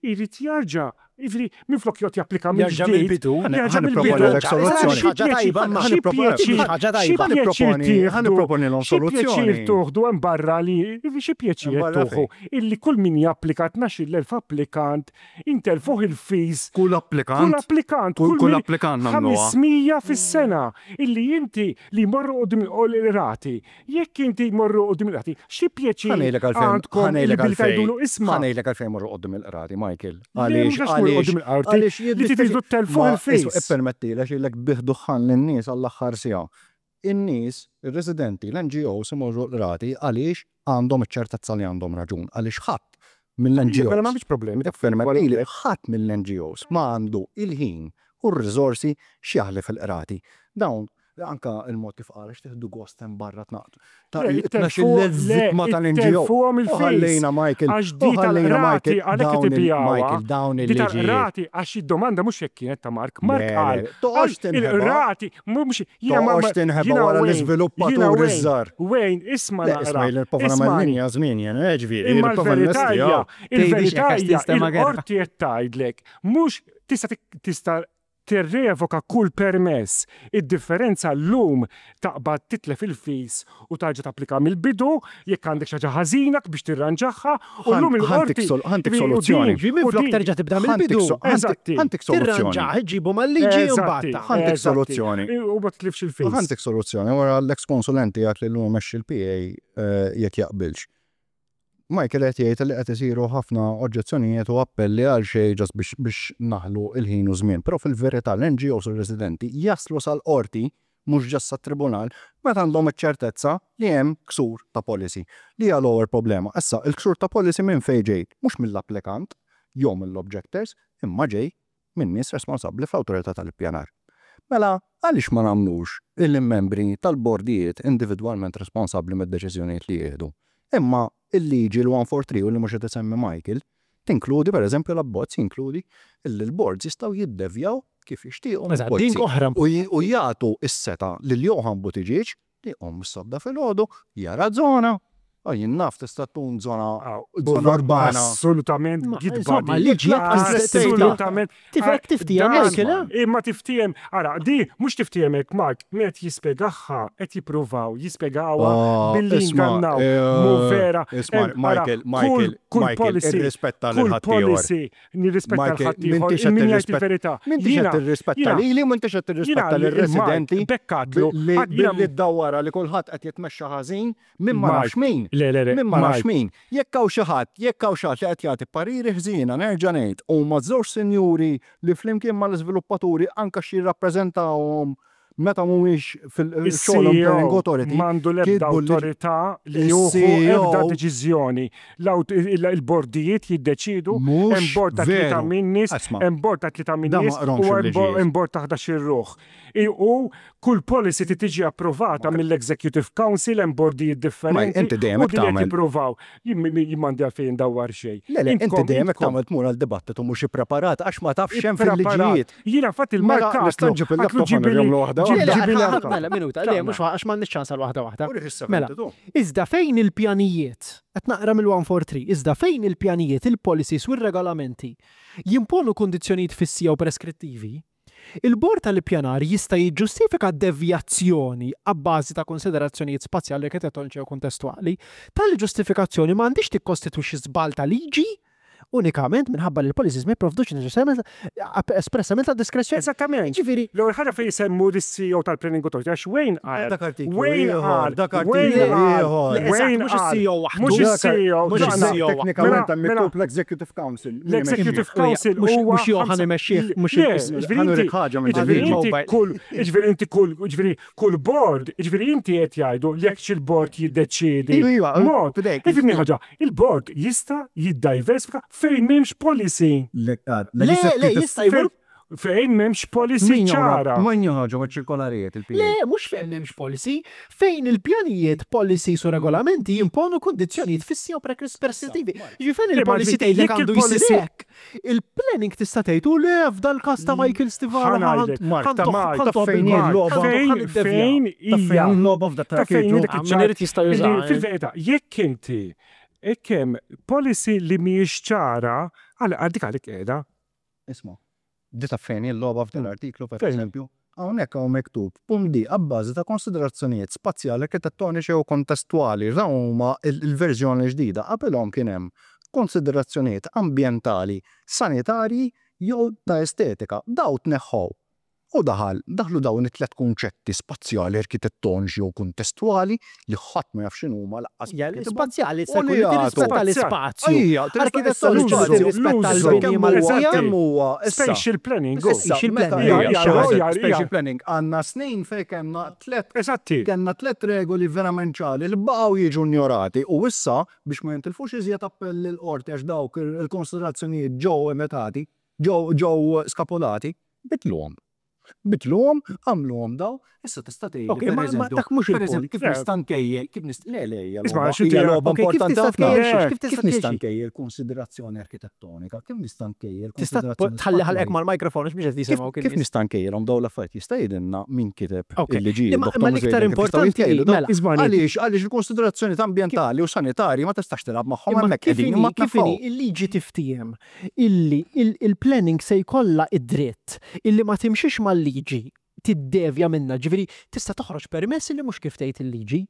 irid jarġa' Jiġifieri minflok joqgħod japplika Jerġa' mill-ġdid. mill-bidu. Jerġa' Ħa mill-bidu. nipproponilek soluzzjoni. Xi Ħaġa tajba, imma. Xi pjaċir, Ħaġa xi tajba. pjaċir Ħa tieħdu, nipproponilhom xi pjaċir soluzzjoni. tuħdu hemm barra li, xi pjaċir Hemm barra tuħu illi kull min japplika 12,000 applikant intelfuh il-fees. Kull Kull applikant. applikant, Kull kull kull min applikant nagħmluha. 500 fis-sena illi inti li jmorru quddiem il-qrati. Jekk inti jmorru quddiem il-qrati, xi pjaċir Ħa ngħidlek għalfejn, għandkom ħa illi ngħidlek billi għalfejn, tgħidulu isma'. ħa ngħidlek għalfejn morru quddiem il-qrati, Michael. Le, Għaliex, mhux għax morru għaliex, quddiem il-qorti, għaliex li tridu jiddispjaċi. ttelfuh Ma, il-fees. isma', ippermettili għax ilek tbigħ duħħan lin-nies għall-aħħar siegħa. In-nies, ir-residenti, l-NGOs imorru l-qrati għaliex għandhom iċ-ċertezza li għandhom raġun, għaliex ħadd mill-NGOs. Mela m'għandix problemi. Ippermettili, ħadd mill-NGOs ma għandu il-ħin u r-riżorsi x'jaħli fil-qrati. Dawn anka il-mod kif qal għax tieħdu gost hemm barra tnaqdu. Ta' Le, il-12,000 vittma tal-NGO. ittelfuhom U il-fees. ħallejna Michael, Għax u di ħallejna tal-qrati Michael, għalhekk qed dawn il- ibijawha. Michael, dawn Di il-liġijiet. tal-qrati għax id-domanda mhux hekk kienet ta' Mark. Mark Le, qal. le, toqgħodx għax tinħeba. Il-qrati mhux jiena ma- Toqgħodx tinħeba jiena wara Wayne, l-iżviluppaturi jiena Wayne, ż-żgħar. Wayne, isma' Le, naqra. isma' jien nipprova nagħmel Ismagħni. linja żmien jien, eh, ġifieri, Imma nipprova l-verità nlesti, hija, hawn. il-verità Tgħidix hekk għax hija, tinstema' gerra. il-qorti qed tgħidlek mhux tista' tik- tista' tirrevoka kull permess. Id-differenza llum taqbad titlef il-fees u tarġa' tapplika mill-bidu jekk għandek xi ħaġa ħażina biex tirranġaha u llum il-qorti. Ħa ntik soluzzjoni. Ġi minflok terġa' tibda mill-bidu. Eżatti. Ħa ntik soluzzjoni. Tirranġah, iġġibu mal-liġi u Eżatti. mbagħad. Ħa ntik Eżatti. soluzzjoni. U ma titlifx il-fees. Ħa ntik soluzzjoni wara l-ex konsulenti għak li l-lum mexxi l-PA jekk jaqbilx. Michael qed jgħid li qed isiru ħafna oġġezzjonijiet u appelli għal xejn just biex biex naħlu il-ħin u żmien. Però fil-verità l-NGOs u r-residenti jaslu sal-qorti mhux just sat-tribunal meta għandhom iċ-ċertezza li hemm ksur ta' policy. Li hija l-ewwel problema. Issa, il-ksur ta' policy minn fejn ġej? Mhux mill-applikant jew mill-objectors, imma ġej minn nies responsabbli fl-awtorità tal-ippjanar. Mela, għaliex ma nagħmlux il-membri tal-bordijiet individwalment responsabbli mid-deċiżjonijiet li jieħdu? Imma il-liġi l-143 u li mhux qed isemmi Michael tinkludi pereżempju l-abbozz jinkludi li l-boards jistgħu jiddevjaw kif jixtiequ Eżatt, mill-policy. din oħra. U j- u jagħtu s-setgħa lil Johann Buttigieg li jqum mis-sodda filgħodu jara żona. U jien naf tista' tkun żona żona urbana. Assolutament Ma, gidba insomma, di. liġi jekk Assolutament. Tifek tiftiehem, Dan- Michael, eh? Imma tiftiehem, ara, di mhux tiftiehem hekk Mark, min qed jispjegaha, qed jippruvaw jispjegawha Ah, billi isma', ngannaw. eh, Mhu vera. Isma', Em, ara, Michael, kull- Michael, kull Michael, policy, irrispetta lil kull ħaddieħor. policy, nirrispetta Michael, l-ħaddieħor, m'intix qed min jgħid tirrispetta- il-verità. M'intix qed Jiena- tirrispetta jiena- lili u m'intix qed tirrispetta jiena lir-residenti Mark, bekkatlu, billi għad jiena- billi ddawwara li kulħadd qed jitmexxa ħażin minn ma Mark, nafx min. Le, le, le. Min ma nafx Mark, min. Jekk hawn xi ħadd, jekk hawn xi ħadd li qed jagħti pariri ħżiena nerġa' ngħid huma żewġ sinjuri li flimkien mal-iżviluppaturi anke x'jirrappreżentawhom meta mhumiex fil-xogħolhom Planning Il-CEO Authority. m'għandu l-ebda kitbu li- awtorità li juhu Il-CEO ebda deċiżjoni. L-awt- il- Il-bordijiet jiddeċidu, Mhux hemm bord ta' tlieta veru. minn nies, Isma', hemm bord ta' tlieta minn da ma nies qromx u hemm bo- il-liġijiet. hemm bord ta' 11 ruħ. I- U kull policy ti tiġi approvata mill-Executive Council hemm bordijiet differenti. inti dejjem u hekk din qed tagħmel. jippruvaw. Jien jien m'għandi għalfejn ndawwar xejn. Le, le, inti Intkom- dejjem hekk intkom tagħmel tmur għal dibattitu mhux ippreparat għax ma tafx x'hemm ippreparat. fil-liġijiet. Jiena fatt Mela, il-markat. nista' nġib il-laptop ħa nurihomlu waħda Le, le, waħda. ħa- Mela, minuta, le, mhux għax m'għandniex ċans għal waħda waħda. Mela, iżda fejn il-pjanijiet, qed naqra mill-143, iżda fejn il-pjanijiet, il-policies u r-regolamenti jimponu kundizzjonijiet fissi jew preskrittivi, il-bord tal-ippjanar jista' jiġġustifika devjazzjoni abbażi ta' konsiderazzjonijiet spazjali, arkitettoniċi jew kontestwali. Tali ġustifikazzjoni ma għandix tikkostitwixxi żball ta' liġi unikament minħabba li l-policies ma jipprovdux neċessarjament espressament ta' diskrezzjoni. Eżattament. Ġifieri, L-ewwel ħaġa fejn isemmu lis-CEO tal-Planning Authority għax Wayne qal. Dak artiklu Wayne ieħor, qal. dak artiklu Wayne qal. ieħor. Le, eżatt, Wayne mhux qal. is-CEO waħdu. Mhux is-CEO. Mhux daqna. is-CEO waħdu. Teknikament hemm Mela- miktub l-Executive Council. L-Executive Council Mhux- huwa mhux Johan imexxih, mhux Le, il- ġifieri Ħanurik inti- ħaġa minn ġifieri ġifieri. inti Mobile. kull ġifieri inti kull ġifieri kull board, ġifieri inti qed jgħidu jekk xi l-board jiddeċiedi. Iva, iva, Mod, fidejk. ifhimni ħaġa, il-board jista' jiddiversifika fejn m'hemmx policy. Le, le, jista' jmur Fejn m'hemmx policy ċara. Min joħroġu ċirkolarijiet il-PA? Le, mhux fejn m'hemmx policy, fejn il-pjanijiet, policies u regolamenti jimponu kundizzjonijiet fissi u preskrittivi. Ġifieri fejn Le, ma il-policy ġifieri, tgħidlek jekk għandu il-policy- jsir hekk. Il-planning tista' tgħid u le f'dal każ ta' Michael Stivala. Ħa ngħidlek, Mark, ta' Mark, ta' fejn hi Mark, l-logħba? Fejn fejn Ta' hija fejn l-logħba f'dak Ta' fejn l-artiklu? dik Ah, min iċ-ċar- irid jista' jużaha, Illi eh. Fil-verità, jekk inti jekk hemm policy li mhijiex ċara, għal dik għalik qiegħda. Isma', di taf fejn hi l-logħba f'dan l-artiklu, per eżempju? Hawnhekk hawn miktub, punt D, abbażi ta' konsiderazzjonijiet spazjali, arkitettoniċi jew kontestwali. Dawn huma l-verżjoni l-ġdida. Qabilhom kien hemm konsiderazzjonijiet ambjentali, sanitarji jew ta' estetika. Dawn tneħħew. U daħal, daħlu dawn it-tlett kunċetti spazjali, arkitettoniċi jew kuntestwali li ħadd ma jaf x'inhuma laqqas min kitibhom. Spazjali jista' jkun li tirrispetta l-ispazju. Arkitettoniċi li tirrispetta l-bini Maltija. Kemm huwa issa. Spatial planning. Spatial planning. Spatial planning. Għandna snin fejn kellna tlett. Eżatti. Kellna tlett regoli verament ċari li baqgħu jiġu injorati u issa biex ma jintilfux iżjed appelli l-qorti għax dawk il-konsiderazzjonijiet ġew imitati, ġew skapolati, Bidluhom. Bidluhom, għamluhom daw, issa tista' tgħidli. Ok, ma dak mhux il-punt. Kif nista' nkejjel, kif nista' le le hija logħba hija logħba importanti ħafna. Kif nista' nkejjel konsiderazzjoni arkitettonika? Kif nista' nkejjel Tista' tħalli ħalqek mal-mikrofon għax mhux qed jisimgħuk Kif nista' nkejjelhom dawn l-affarijiet? Jista' jgħidilna min kiteb il-liġijiet? Imma l-iktar importanti mela. Għaliex għaliex il-konsiderazzjonijiet ambjentali u sanitarji ma tistax tilgħab magħhom hemmhekk qegħdin imma kif inhi il-liġi tiftiehem illi il-planning se jkollha id-dritt illi ma timxix mal-liġi, tiddevja minnha, ġifieri tista' toħroġ permess illi mhux kif tgħid il-liġi.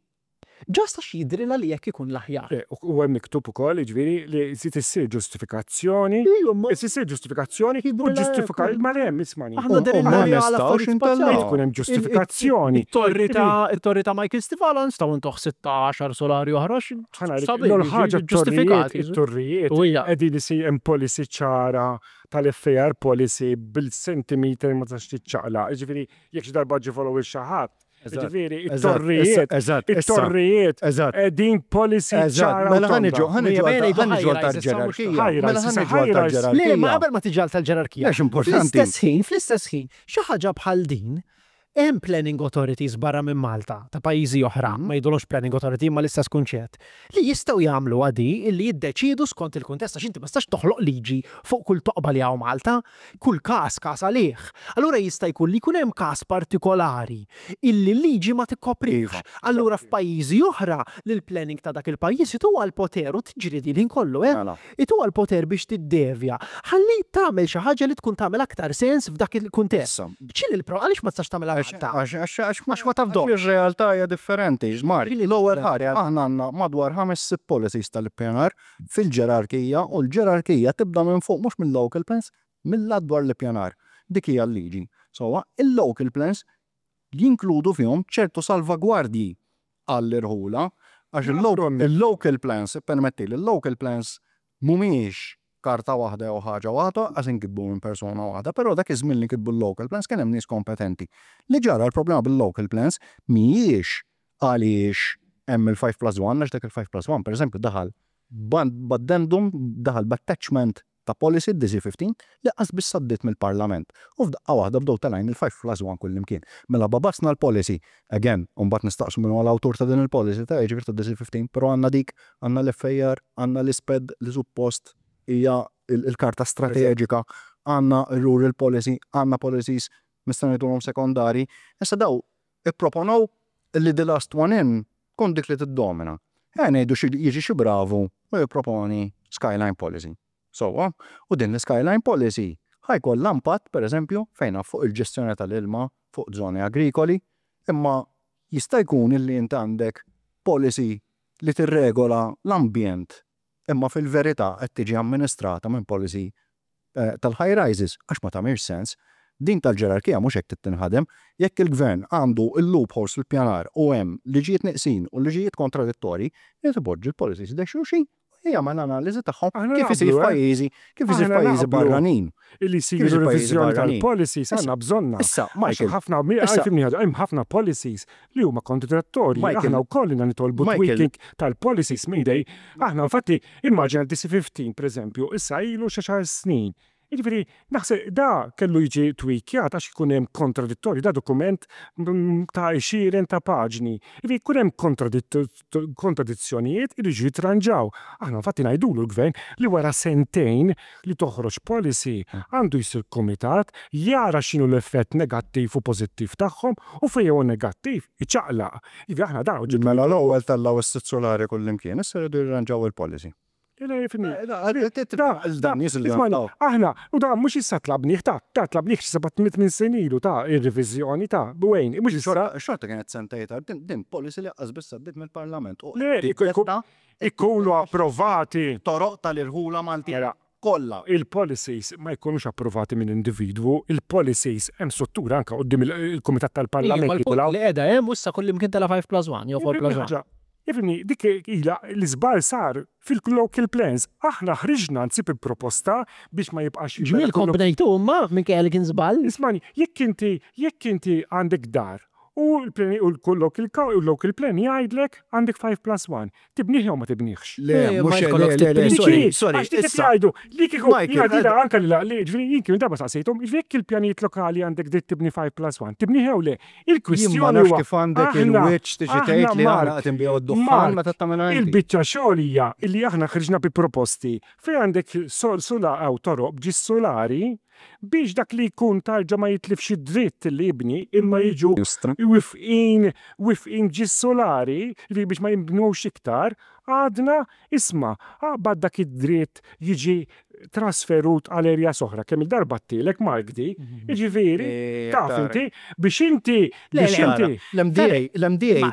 Just għax jidhrilha li hekk ikun l-aħjar. U hemm miktub ukoll, jiġifieri, li trid issir ġustifikazzjoni, trid issir ġustifikazzjoni u ġustifika, ma le hemm, ismagħni. Aħna dehrilna li għal affarijiet spazjali. Trid tkun hemm ġustifikazzjoni. It-torri ta' it-torri ta' Michael Stivala nistgħu ntuh sitta għaxar solari oħra għax Sabiħ, ħaġa ġustifikati. It-torrijiet qegħdin isir hemm policy ċara tal-FAR policy bil-centimeter ma tistax tiċċaqlaq. Jiġifieri jekk xi darba ġie follow il xi ħadd. Jiġifieri it-torrijiet it-torrijiet qegħdin policy ċara. Mela ħa niġu ħa niġu ħa niġu għal tal-ġerarkija. Mela ħa niġu għal tal-ġerarkija. Le, ma qabel ma tiġi għal tal-ġerarkija. Għax importanti. Fl-istess ħin, fl-istess ħin, xi ħaġa bħal din Hemm planning authorities barra minn Malta, ta' pajjiżi oħra, ma jgħidulhomx planning authority imma l-istess kunċett, li jistgħu jagħmluha di illi jiddeċiedu skont il-kuntest għax inti ma tistax toħloq liġi fuq kull toqba li hawn Malta. Kull każ każ għalih. Allura jista' jkun li jkun hemm każ partikolari illi l-liġi ma tikkoprihx. Allura f'pajjiżi oħra lill-planning ta' dak il-pajjiż ituha l-poter u tiġri din il-ħin kollu, eh. Ituha l-poter biex tiddevja ħalli tagħmel xi ħaġa li tkun tagħmel aktar sens f'dak il-kuntest. X'inhi l-pro, għaliex ma tistax tagħmilha Malta? Għax ma tafdomx. Għax ir-realtà hija differenti. Mark, l-ewwel ħaġa, aħna għandna madwar ħames sitt policies tal-ippjanar fil-ġerarkija u l-ġerarkija tibda minn fuq mhux mill-local plans, mill-Att dwar l-Ippjanar. Dik hija l-liġi. Sewwa, il-local plans jinkludu fihom ċertu salvagwardji għall-irħula, għax il-local plans, ippermettili, il-local plans mhumiex karta waħda jew ħaġa waħda, lanqas inkitbu minn persuna waħda, però dak iż-żmien li nkitbu l-local plans kien hemm nies kompetenti. Li ġara l-problema bil-local plans mhijiex għaliex hemm il-five plus one, għax dak il-five plus one pereżempju daħal b'addendum, daħal b'attachment ta' policy, DC-15, li qas biss għaddiet mill-Parlament. U f'daqqa waħda bdew telgħin il-five plus one kullimkien. Mela bagħbasna l-policy, again, u mbagħad nistaqsu min huwa l-awtur ta' din il-policy, ta' jiġifieri ta' DC-15, però għandna dik, għandna l-FAR, għandna l-ISPED li suppost hija l-karta strateġika, għandna r-rural policy, għandna policies nistgħu ngħidulhom sekondarji. Issa daw ipproponow li the last one in tkun dik li tiddomina. Ejja ngħidu xi jiġi xi bravu u jipproponi skyline policy. Sewwa? U din l-iskyline policy ħa jkollha impatt, pereżempju, fejn naf fuq il-ġestjoni tal-ilma fuq żoni agrikoli, imma jista' jkun illi int għandek policy li tirregola l-ambjent imma fil-verità qed tiġi amministrata minn policy tal-high rises għax ma tagħmilx sens. Din tal-ġerarkija mhux hekk trid tinħadem. Jekk il-Gvern għandu l-loopholes fil-ppjanar u hemm liġijiet neqsin u liġijiet kontradittorji, irid ipoġġi l-policies ħdejn xulxin u jagħmel analiżi tagħhom kif isir f'pajjiżi kif isir f'pajjiżi barranin. Illi jsiru reviżjoni tal-policies għandna bżonnha. Issa, Michael. Ħafna, fhimni ħaġa, hemm ħafna policies li huma kontradittorji. Aħna wkoll ilna nitolbu tweaking tal-policies minn dej. Aħna infatti, immaġina DC-15 pereżempju, issa ilu xi xahar snin. Jiġifieri, naħseb da kellu jiġi tweakjat għax ikun hemm kontradittorji, da dokument ta' għexieren ta' paġni. Jiġifieri jkun hemm kontradizzjonijiet iridu jiġu jitranġaw. Aħna infatti ngħidulu l-Gvern li wara sentejn li toħroġ policy għandu jsir kumitat jara x'inhu l-effett negattiv u pożittiv tagħhom u fejn hu negattiv iċaqlaq. Jiġifieri aħna dan Mela l-ewwel tellgħu s-sitt sulari kullimkien, issa jridu jirranġaw il-policy. Aħna, u da mhux issa tlabnih ta, da tlabnih xi seba' tmien snin ilu ta' ir-reviżjoni ta' Wayne, mhux issa. Xorta kienet sentejn tard, din policy li qas biss għaddiet mill-Parlament. Le, ikunu approvati. Toroq tal-irħula Maltin kollha. Il-policies ma jkunux approvati minn individwu, il-policies hemm struttura anke quddiem il-Kumitat tal-Parlament. Li qiegħda hemm u issa kullimkien tela' 5 plus 1 jew 4 plus 1. Ifhimni, dik ilha l-iżball sar fil-local plans. Aħna ħriġna anzi bi proposta biex ma jibqax. Ġmielkom bnejtu imma minkejja li kien żball. Ismagħni, jekk inti jekk inti għandek dar u l-local plan jgħidlek għandek 5 plus 1, tibnih jew ma tibnihx? Le, mhux le, le, le, sorry, sorry. Għax dik qed jgħidu li kieku jiena anke li jiġifieri jien kien darba saqsejthom, jiġifieri jekk il-pjanijiet lokali għandek dritt tibni 5 plus 1, tibnih jew le? Il-kwistjoni huwa. Jien ma nafx kif għandek il-wiċċ tiġi tgħid li aħna qed inbigħu d-duħħan meta tagħmilha inti. Il-biċċa xogħol hija li aħna ħriġna bi proposti fejn għandek hawn toroq b'ġis solari biex dak li jkun tarġa' ma jitlifx id-dritt li jibni imma jiġu wifqin wifqin b'ġis solari, jiġifieri biex ma jinbnux iktar, għadna isma' aqbad dak id-dritt jiġi trasferut għal areas oħra, kemm-il darba għedtilek Mark di, jiġifieri, taf inti, biex inti, biex inti. L-MDA, l-MDA,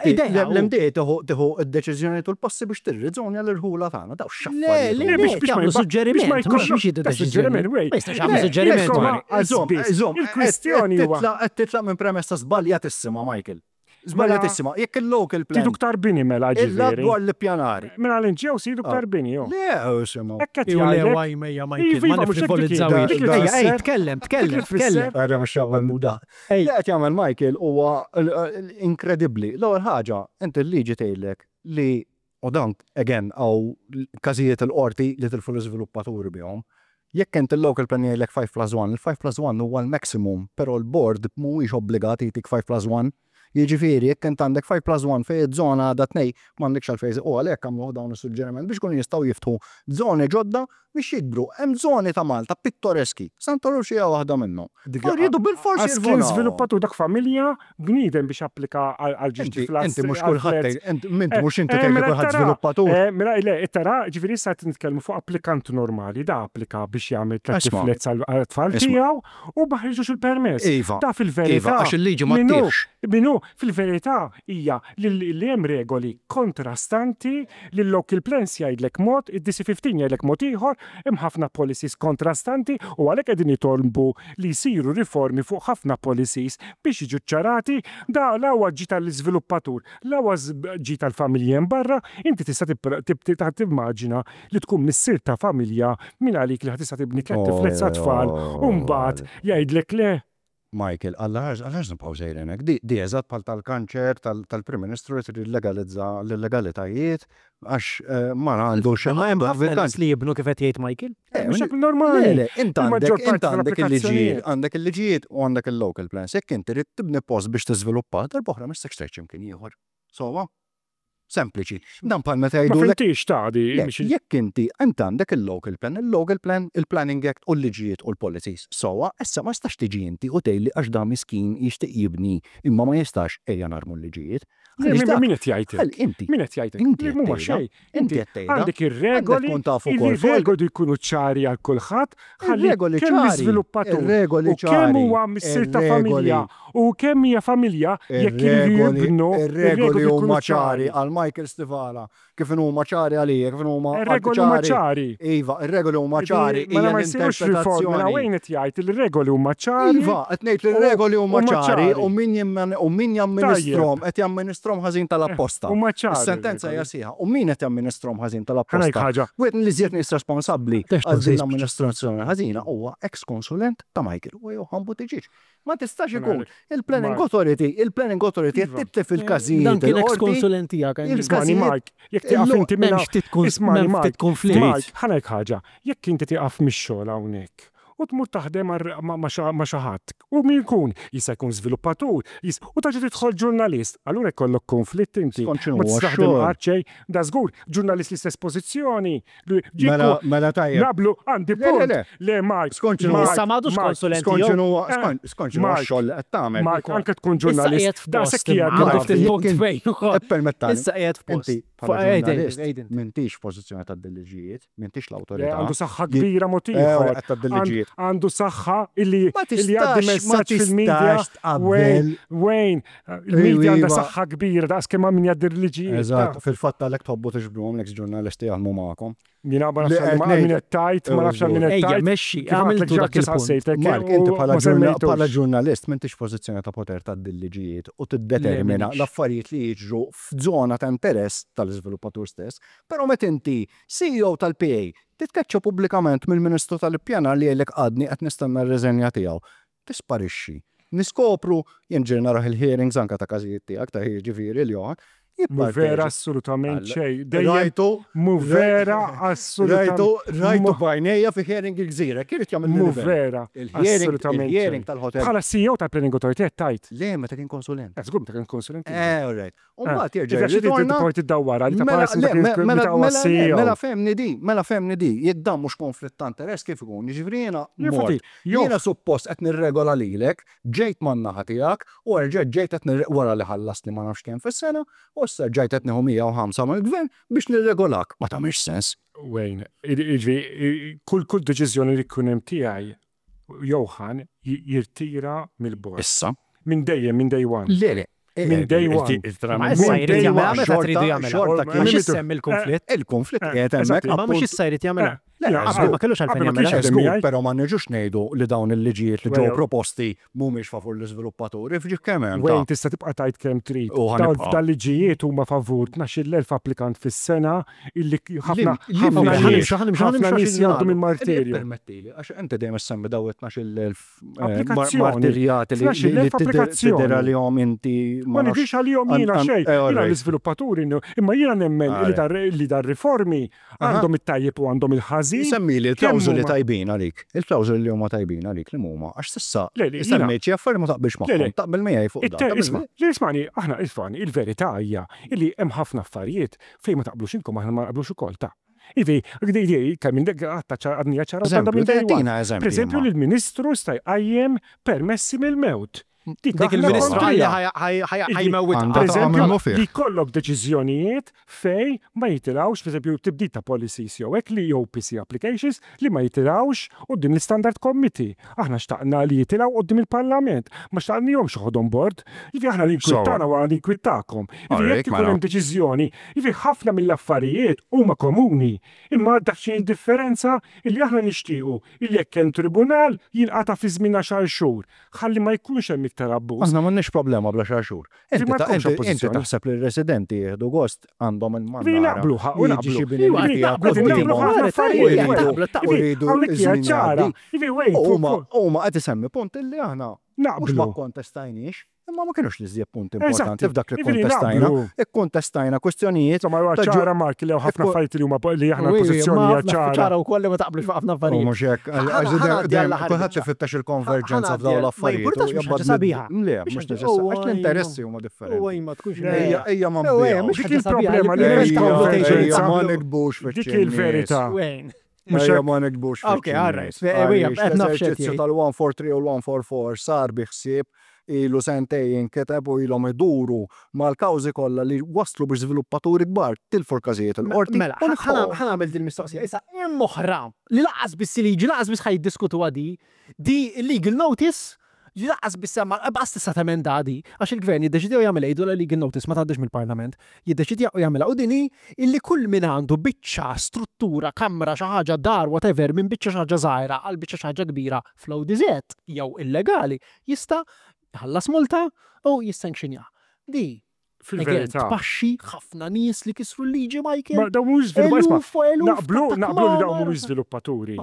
l-MDA tieħu tieħu d-deċiżjonijiet u l-passi biex tirriżonja l-irħula tagħna, dawn x'affarijiet. Le, le, biex jagħmlu suġġeriment, mhux biex jieħdu deċiżjoni. Ma jistax jagħmlu suġġeriment. Żomm, żomm, il-kwistjoni huwa. Qed titlaq minn premessa żbaljatissima, Michael. Żbaljatissima. Jekk il-local plan. Tridu ktar bini mela ġifieri. Dwar l-ippjanar. Mela l-NGOs jridu ktar bini, jo. Le, isimgħu. Hekk qed jgħidlek. Le, ejja Michael, ma nifrivolizzawhiex. Ejja, ejja, tkellem, tkellem, tkellem. Ara mhux jagħmel da. Li qed jagħmel Michael huwa inkredibbli. L-ewwel ħaġa, inti l-liġi tgħidlek li U dan, again, hawn każijiet il-qorti li tilfu l-iżviluppaturi bihom. Jekk inti l-local plan jgħidlek 5 plus 1, il-5 plus 1 huwa l-maximum, però l-board mhuwiex obbligat jtik 5 plus 1. Jiġifieri jekk int għandek 5 plus 1 fejn iż-żona għadha tnej, m'għandekx għalfejn, u għalhekk għamluh dawn is-suġġeriment biex ikunu jistgħu jiftħu żoni ġodda biex jikbru. Hemm żoni ta' Malta pittoreski, Santa Lucia waħda minnhom. U rridu bilfors Għax kien jirvolaw. żviluppatur dak familja bniedem biex applika għal ġiex Inti, flats inti mhux għal kulħadd flats. tgħid, int, inti mhux inti Eh, tgħid li mela kulħadd tara, żviluppatur. eh, mela le, tara, ġifieri issa qed nitkellmu fuq applikant normali, da applika biex jagħmel tliet Isma'. flats għal tfal Isma'. tiegħu u ma ħriġux il-permess. Iva. Da fil-verità. Iva, għax il-liġi ma min hu, ttihx. min hu, fil-verità hija li li hemm regoli kontrastanti li l-local plans jgħidlek mod, id-DC15 jgħidlek mod ieħor, hemm ħafna policies kontrastanti u għalhekk qegħdin nitolbu li jsiru riformi fuq ħafna policies biex jiġu ċċarati, da la huwa ġid għall-iżviluppatur, la huwa ġid għall-familji hemm barra, inti tista' timmaġina li tkun missier ta' familja mingħalik li ħa tista' tibni tlett flats għat-tfal u mbagħad jgħidlek le. Michael, Alla ħares, għaliex nibqgħu sejrin hekk? Di, di eżatt bħal tal-kanċer tal-Prim Ministru li trid jillegalizza l-illegalitajiet għax ma għandu xi Imma hemm ħafna nies li jibnu kif qed jgħid Michael. Mhux hekk normali. Le, le, int għandek, int għandek il-liġijiet, għandek il-liġijiet u għandek il-local plans. Jekk inti trid tibni post biex tiżviluppa, darb'oħra m'issek xtrajt xi mkien ieħor. Sewwa? Sempliċi. Dan bħal meta jgħidulek. Ma fhimtix ta' di. Jekk inti, int għandek il-local plan, il-local plan, il-planning act u l-liġijiet u l-policies. Sewwa, issa ma tistax tiġi inti u tgħidli għax dan miskin jixtieq jibni imma ma jistax, ejja narmu l-liġijiet. Għaliex dak. Min qed jgħid hekk? Inti. Min qed jgħid hekk? Inti qed Mhuma tgħidha. xejn. Inti qed tgħidha. Għandek ir-regoli. Għandek tkun taf ukoll. Ir-regoli jkunu ċari għal kulħadd, ħalli Ir-regoli kemm ċari. l-iżviluppatur Ir-regoli u kemm ċari. huwa missier ta' Ir-regoli. familja u kemm hija familja jekk iridu Ir-regoli, jibnu, ir-regoli ir-regoli jkunu huma ċari ċari. għal Michael Stivala, kif inhuma ċari għalija, kif inhuma għal Ir-regoli huma ċari. ċari. Iva, ir-regoli huma ċari, Mela hija ma jsirux riformi, mela l-interpretazzjoni. Wayne qed jgħid li r-regoli huma ċari. Iva, qed ngħid li r-regoli huma Huma ċari ċari. u min jimman- u min jamministrhom qed jamministrhom ħażin tal-apposta. Huma ċari Is-sentenza hija r-regoli. sħiħa. U min qed jamministrhom ħażin tal-apposta? Ħa ngħid ħaġa. Wieħed mill-iżjed nies responsabbli Tex għal din tkun l-amministrazzjoni ħażina huwa ex-konsulent ta' Michael u Johan Buttigieg. Ma tistax ikun. Ngħidlek. Il-Planning Mark. Authority, il-Planning Authority qed Iva. titlef il-każijiet Dan kien il-qorti. ex-konsulent tiegħek. Ismani Il-każijiet Mark, jekk tieqaf illum inti minn M'hemmx ftit kun- Ismani m'hemm Mark, ftit konflitt. Mark, ħa ngħid ħaġa, jekk inti tieqaf mix-xogħol hawnhekk u tmur taħdem ma' xi ħadd, u min jkun, jista' jkun żviluppatur, u terġa' tidħol ġurnalist, allura jkollok konflitt inti. Skont x'inhu Ma huwa tista' taħdem x-xogħol. qatt xejn, da żgur, ġurnalist l-istess pożizzjoni, Mela, mela tajjeb. Nablu, għandi Le, le, punt. le. Le, Mark. Skont x'inhu- Mark, Issa m'għadux Mark, konsulent Skont tiegħu. x'inhu skont x'inhu Mark. x-xogħol li qed tagħmel. Mark, anke tkun Issa ġurnalist. qiegħed Da f'post. sekk hija imma Għandu gravi. ftit punt Jekk fejn ukoll. Ippermettani. Issa qiegħed f'post. Inti Bħala ġurnalist, m'intix f'pożizzjoni tgħaddi l-liġijiet, m'intix l-awtorità. Għandu saħħa kbira mod ieħor. Qed tgħaddi l-liġijiet. Għandu saħħa illi jgħaddi messaġġ fil-media. Wayne, Wayne, il-media għandha saħħa kbira daqs kemm min jgħaddi l-liġijiet. Eżatt, fil-fatt għalhekk tħobbu tiġbduhom l-eks ġurnalisti jaħdmu magħkom. Jiena ma nafx għal min qed tgħid, ma nafx għal min qed tgħid. Ejja, mexxi, għamiltu dak il-punt. Mark, inti bħala ġurnalist m'intix f'pożizzjoni ta' poter tgħaddi l-liġijiet u tiddetermina l-affarijiet li jiġru f'żona ta' interess tal-iżviluppatur stess. Però meta inti CEO tal-PA titkeċċa pubblikament mill-Ministru tal-Ippjanar li jgħidlek għadni qed nistenna r-riżenja tiegħu, tisparixxi. Niskopru, jien ġieli narah il-hearings anke ta' każijiet tiegħek ta' jiġifieri l-Johann, Mhu vera assolutament xejn. Rajtu. Mhu vera assolutament. Rajtu, rajtu b'għajnejja fi hearing il-Gżira, kien irid jagħmel Mhu vera assolutament xejn. Il-hearing tal-hotel. Bħala CEO tal-Planning Authority qed tgħid? Le, meta kien konsulent. Eh, żgur meta kien konsulent. Eh, all right. U mbagħad jerġa' jirritorna. Ġifieri tiddawwar għal ta' mela, mela, mela fehmni di, mela fehmni di, jekk dan mhux konflitt ta' interess kif ikun? Jiġifieri jiena mort. Jiena suppost qed nirregola lilek, ġejt man-naħa tiegħek u erġajt ġejt qed wara li ħallastni ma nafx kemm fis-sena, u issa rġajt qed nieħu 105 mill-gvern biex nirregolak. Ma tagħmilx sens. Wayne, jiġifieri kull kull deċiżjoni li jkun hemm tiegħi Johan jirtira mill-bord. Issa. Minn dejjem, minn day one. Le, le. Minn day one. Ma issa jrid jagħmilha meta tridu jagħmilha. Għax issemmi l-konflitt. Il-konflitt qiegħed hemmhekk. Ma mhux issa jrid jagħmilha. Qabel ma kellux għalfejn jagħmilha. Żgur, però ma niġux ngħidu li dawn il-liġijiet li ġew proposti mhumiex favur l-iżviluppaturi, f'ġieħ kemm hemm. Wayne tista' tibqa' tgħid kemm trid. Dawn il-liġijiet huma favur 12,000 applikant fis-sena illi ħafna ħafna nies jgħaddu minn martirju. Ippermettili, għax inti dejjem issemmi dawn it-12,000 Applikazzjoni. Martirjati li tidher għalihom inti. Ma nidhirx għalihom jiena xejn. Jiena l-iżviluppaturi, imma jiena nemmen li dar-riformi għandhom it-tajjeb u għandhom il-ħażin. Semmili l-klawżoli tajbin għalik. Il-klawżoli li huma tajbin għalik li huma għax s'issa semmejt xi affarijiet ma taqbilx magħhom. Taqbel miegħi fuq dan. Isma', ismagħni, aħna ismagħni, il-verità hija li hemm ħafna affarijiet fejn ma taqblux intom aħna ma naqblux ukoll ta'. Ivi, kemm minn dik għadha għadnija ċara għandha minn day one. Per eżempju, li l-Ministru sta jqajjem permessi mill-mewt. Dik il-Ministru ħajmewwitha. Per eżempju, li jkollok deċiżjonijiet fejn ma jitilgħux, per eżempju, tibdil ta' policies jew hekk li jew PC applications li ma jitilgħux quddiem l-Istandard Committee. Aħna xtaqna li jitilgħu quddiem il-Parlament. Ma xtaqnihomx joħodhom bord. Jiġifieri aħna l-inkwiet tagħna huwa l-inkwiet tagħkom. Jiġifieri jekk ikun hemm deċiżjoni Jiġifieri ħafna mill-affarijiet huma komuni, imma daqsxejn differenza illi aħna nixtiequ illi jekk hemm tribunal jinqata' fi żmien għaxar xhur ħalli ma jkunx hemm iktar abbuż. Aħna m'għandniex problema bl-għaxar xhur. Inti taħseb li r-residenti jieħdu gost għandhom il-mannara jiġi xi bini li tiegħek quddiemhom u jridu ż-żmien jgħaddi. Huma qed isemmi punt illi aħna mhux ma kkontestajniex. Imma ma kinux l-iżjed punti importanti f'dak li kkontestajna. Ikkontestajna kwistjonijiet. Insomma, huwa ċara Mark li hawn ħafna affarijiet li huma li aħna l-pożizzjoni hija ċara. Ċara wkoll li ma taqblux fuq ħafna affarijiet. U mhux hekk, għax kulħadd ifittex il-konverġenza f'dawn l-affarijiet. Ma jimpurtax mhux ħaġa sabiħa. Le, mhux neċessarju, għax l-interessi huma differenti. Ma tkunx. Ejja ma nbigħux. Dik il-problema li m'hemmx konverġenza. Ma nikbux fiċ Dik il-verità. Mhux hekk ma nikbux. Ok, all right. L-eżerċizzju tal-143 u l-144 sar bi ħsieb ilu sentejn jinkiteb u ilhom iduru mal-kawżi kollha li wasslu biex żviluppaturi kbar tilfu l-każijiet il-qorti. Mela, ħa nagħmel din il-mistoqsija. Issa hemm oħra li lanqas biss il-liġi, lanqas biss ħa jiddiskutuha di, di legal notice Li lanqas biss hemm lanqas tista' temenda di, għax il-Gvern jiddeċidiha u jagħmilha jgħidulha legal notice ma tgħaddix mill-Parlament. Jiddeċidiha u jagħmilha u din hi illi kull min għandu biċċa struttura, kamra, xi ħaġa, dar, whatever, minn biċċa xi ħaġa żgħira għal biċċa xi ħaġa kbira fl-ODZ jew illegali jista' jħallas multa u jissankxinjaha. Di Fil-verità. Tpaxxi ħafna nies li kisru l-liġi, Michael. Ma dawn mhumiex żviluppa-, naqblu, naqblu li dawn mhumiex żviluppaturi.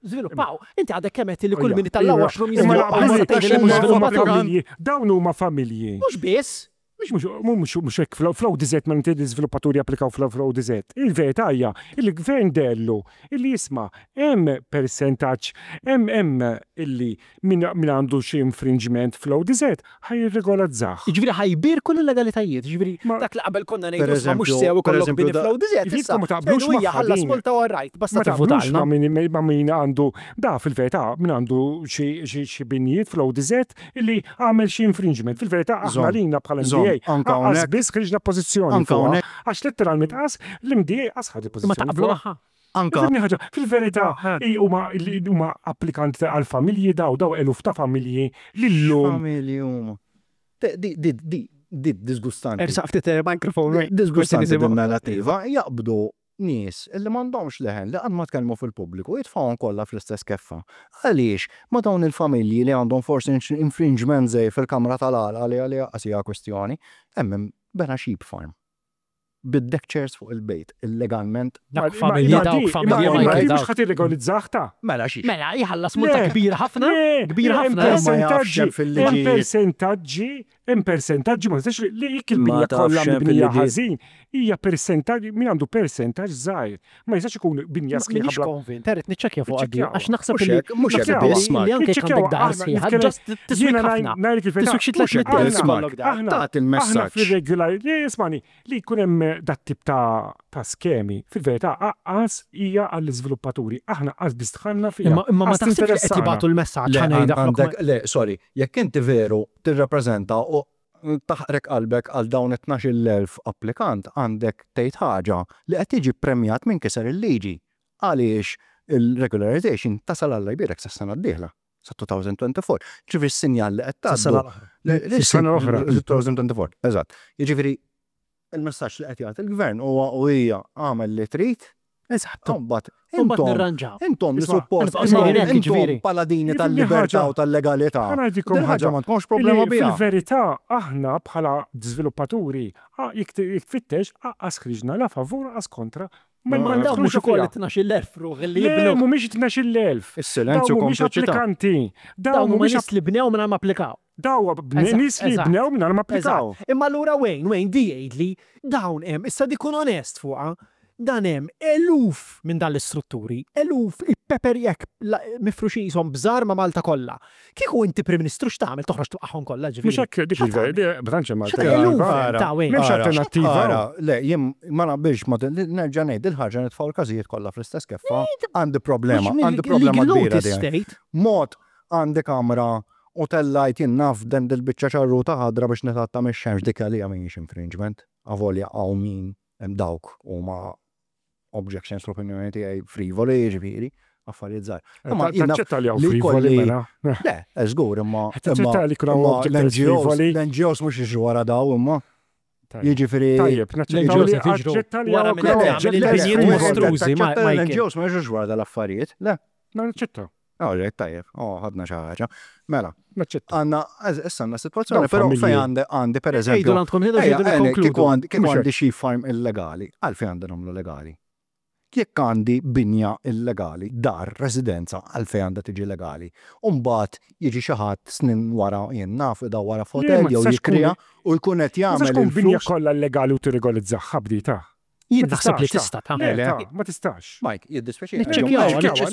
Żviluppaw. Inti għadek kemm għedt li kull min itella' washroom jiżviluppa. Imma tgħid li mhux żviluppaturi. Dawn huma familji. Mhux biss. Mhux mhux hekk fl-ODZ ma inti l-iżviluppaturi japplikaw fl-ODZ. Il-verità hija li l-gvern dellu illi isma' hemm persentaġġ hemm hemm illi Min għandu xi infringement fl-ODZ ħa jirregolazzah. Jiġifieri ħa jbierku l-illegalitajiet. Jiġifieri dak li qabel konna ngħidu isma' mhux sew ikollok bini fl-ODZ, issa ngħidu hija ħallas multa u all right, basta tivvutalna. Ma taqblux ma' min għandu, da fil-verità min għandu xi binjiet fl-ODZ illi għamel xi infringement. Fil-verità aħna lilna bħala MDA. Anka hawnhekk. Biss ħriġna pożizzjoni. Anka hawnhekk. Għax letteralment qas l-MDA qas ħadu pożizzjoni. Ma taqblu magħha. Anka. Ifhimni ħaġa, fil-verità huma huma applikanti għal familji daw daw eluf ta' familji li llum. Familji huma. Di di di di disgustanti. Ersaq ftit il-microphone. Disgustanti din narrativa jaqbdu nies li m'għandhomx leħen li qatt ma tkellmu fil-pubbliku jitfgħuhom kollha fl-istess keffa. Għaliex ma dawn il-familji li għandhom forsi infringement żgħir fil-kamra tal-għalqa li għaliha qas hija kwistjoni, hemm bena sheep farm. Bid-deck chairs fuq il-bejt, illegalment. Dawk familji, dawk familji ma jkun. Mhux ħa tirregolizzah ta'. Mela xiex? Mela jħallas multa kbira ħafna, kbira ħafna. Ma jafx hemm fil-liġi. Hemm persentaġġi, hemm persentaġġi ma tistax li jekk il-binja kollha mibnija ħażin, hija persentaġġ, min għandu persentaġġ żgħir. Ma jistax ikun binja sħiħa. M'iniex konvint, irrid niċċekkja fuq għaddi, għax naħseb li mhux hekk biss, li anke jekk għandek dar sħiħa, ġast tiswik ħafna. Tiswik xi 300,000 ikollok dar. Tagħti l-messaġġ. Aħna fir-regular, ismagħni, li jkun hemm dat-tip ta' ta' skemi, fil-verità aqqas hija għall-iżviluppaturi. Aħna qas biss dħalna fiha. Imma ma taħsibx li qed jibagħtu l-messaġġ ħa ngħidha flok. Le, sorry, jekk inti veru tirrappreżenta u taħqrek qalbek għal dawn it-12,000 applikant għandek tgħid ħaġa li qed jiġi ppremjat min kiser il-liġi. Għaliex il-regularization tasal Alla jbierek sas-sena d-dieħla, sa 2024. Ġifieri s-sinjal li qed tgħaddu. Sas-sena l-oħra. Sas-sena l-oħra. 2024, eżatt. Jiġifieri il-messaġġ li qed jagħti l-Gvern huwa u hija agħmel li trid, Eżatt. U mbagħad Imbagħad intom nirranġaw. intom li Isma' suppost nibqgħu sejrin hekk, intom jiġifieri. paladini Jifhimni tal-libertà ħaġa. u tal-legalità. Ħa ngħidilkom Din il-ħaġa ħaġa. m'għandkomx problema Li biha. fil-verità aħna bħala żviluppaturi jekk tfittex aqqas ħriġna la favur aqqas kontra. Ma Ma dawn mhux nidħlux ukoll fiha. it-12,000 ruħ li Le, jibnu. mhumiex it-12,000. Is-silenzju Dawn mhumiex kompliċità. applikanti. Dawn Dawn huma mhumiex nies li bnew mingħajr ma applikaw. Dawn Eżatt, nies li eżatt. bnew mingħajr ma applikaw. Eżatt. Imma allura Wayne, Wayne, di jgħidli dawn hemm, issa di kun onest fuqha, Dan hemm eluf minn dan l-istrutturi, eluf, il-pepper hekk mifruxin qishom bżar ma' Malta kollha. Kieku inti Prim Ministru x'tagħmel toħroġ twaqqagħhom kollha ġifieri? Mhux hekk dik il-vera, ma tantx hemm X'tagħmel? Eluf alternattiva. ta' Wayne. M'hemmx alternattiva. Ara, le, jien ma naqbilx ma' nerġa' ngħid dil-ħaġa nitfgħu l-każijiet kollha fl-istess keffa. Għandi problema, għandi problema kbira di. Mod għandi kamra u tellajt jien naf den dil-biċċa ċarruta ħadra biex nitgħatta mix-xemx dik għalija mhijiex infringement, avolja hawn min Hemm dawk huma objections fl-opinjoni tiegħi frivoli, jiġifieri, affarijiet żgħar. Imma taċċetta li hawn frivoli mela. Le, żgur imma. Taċċetta li jkun hawn objections frivoli. L-NGOs mhux jiġru wara daw imma. Jiġifieri. Tajjeb, naċċetta li wara minn qed jagħmel il-binjiet mostrużi ma L-NGOs ma jiġrux wara dal-affarijiet, le. Ma naċċetta. Alright, tajjeb, oh, ħadna xi ħaġa. Mela, Naċċetta. għandna, issa għandna sitwazzjoni, però fejn għandi għandi per eżempju. Ejdu għandkom ħidu ġidu nikkonkludu. Kieku għandi xi farm illegali, għalfejn għandi nagħmlu legali? Jekk għandi binja illegali, dar, residenza, għalfejn għandha tiġi legali? U mbagħad jiġi xi ħadd snin wara jien naf idawwarha f'hotel jew jikriha u jkun qed Ma tistax jagħmel tkun binja il-flus. kollha illegali u tirregolizzaha b'dita. Jien naħseb li tista' tagħmel. Le, ma tistax. Mike, jiddispjaċini. Niċċekkjawha, niċċekkjawha,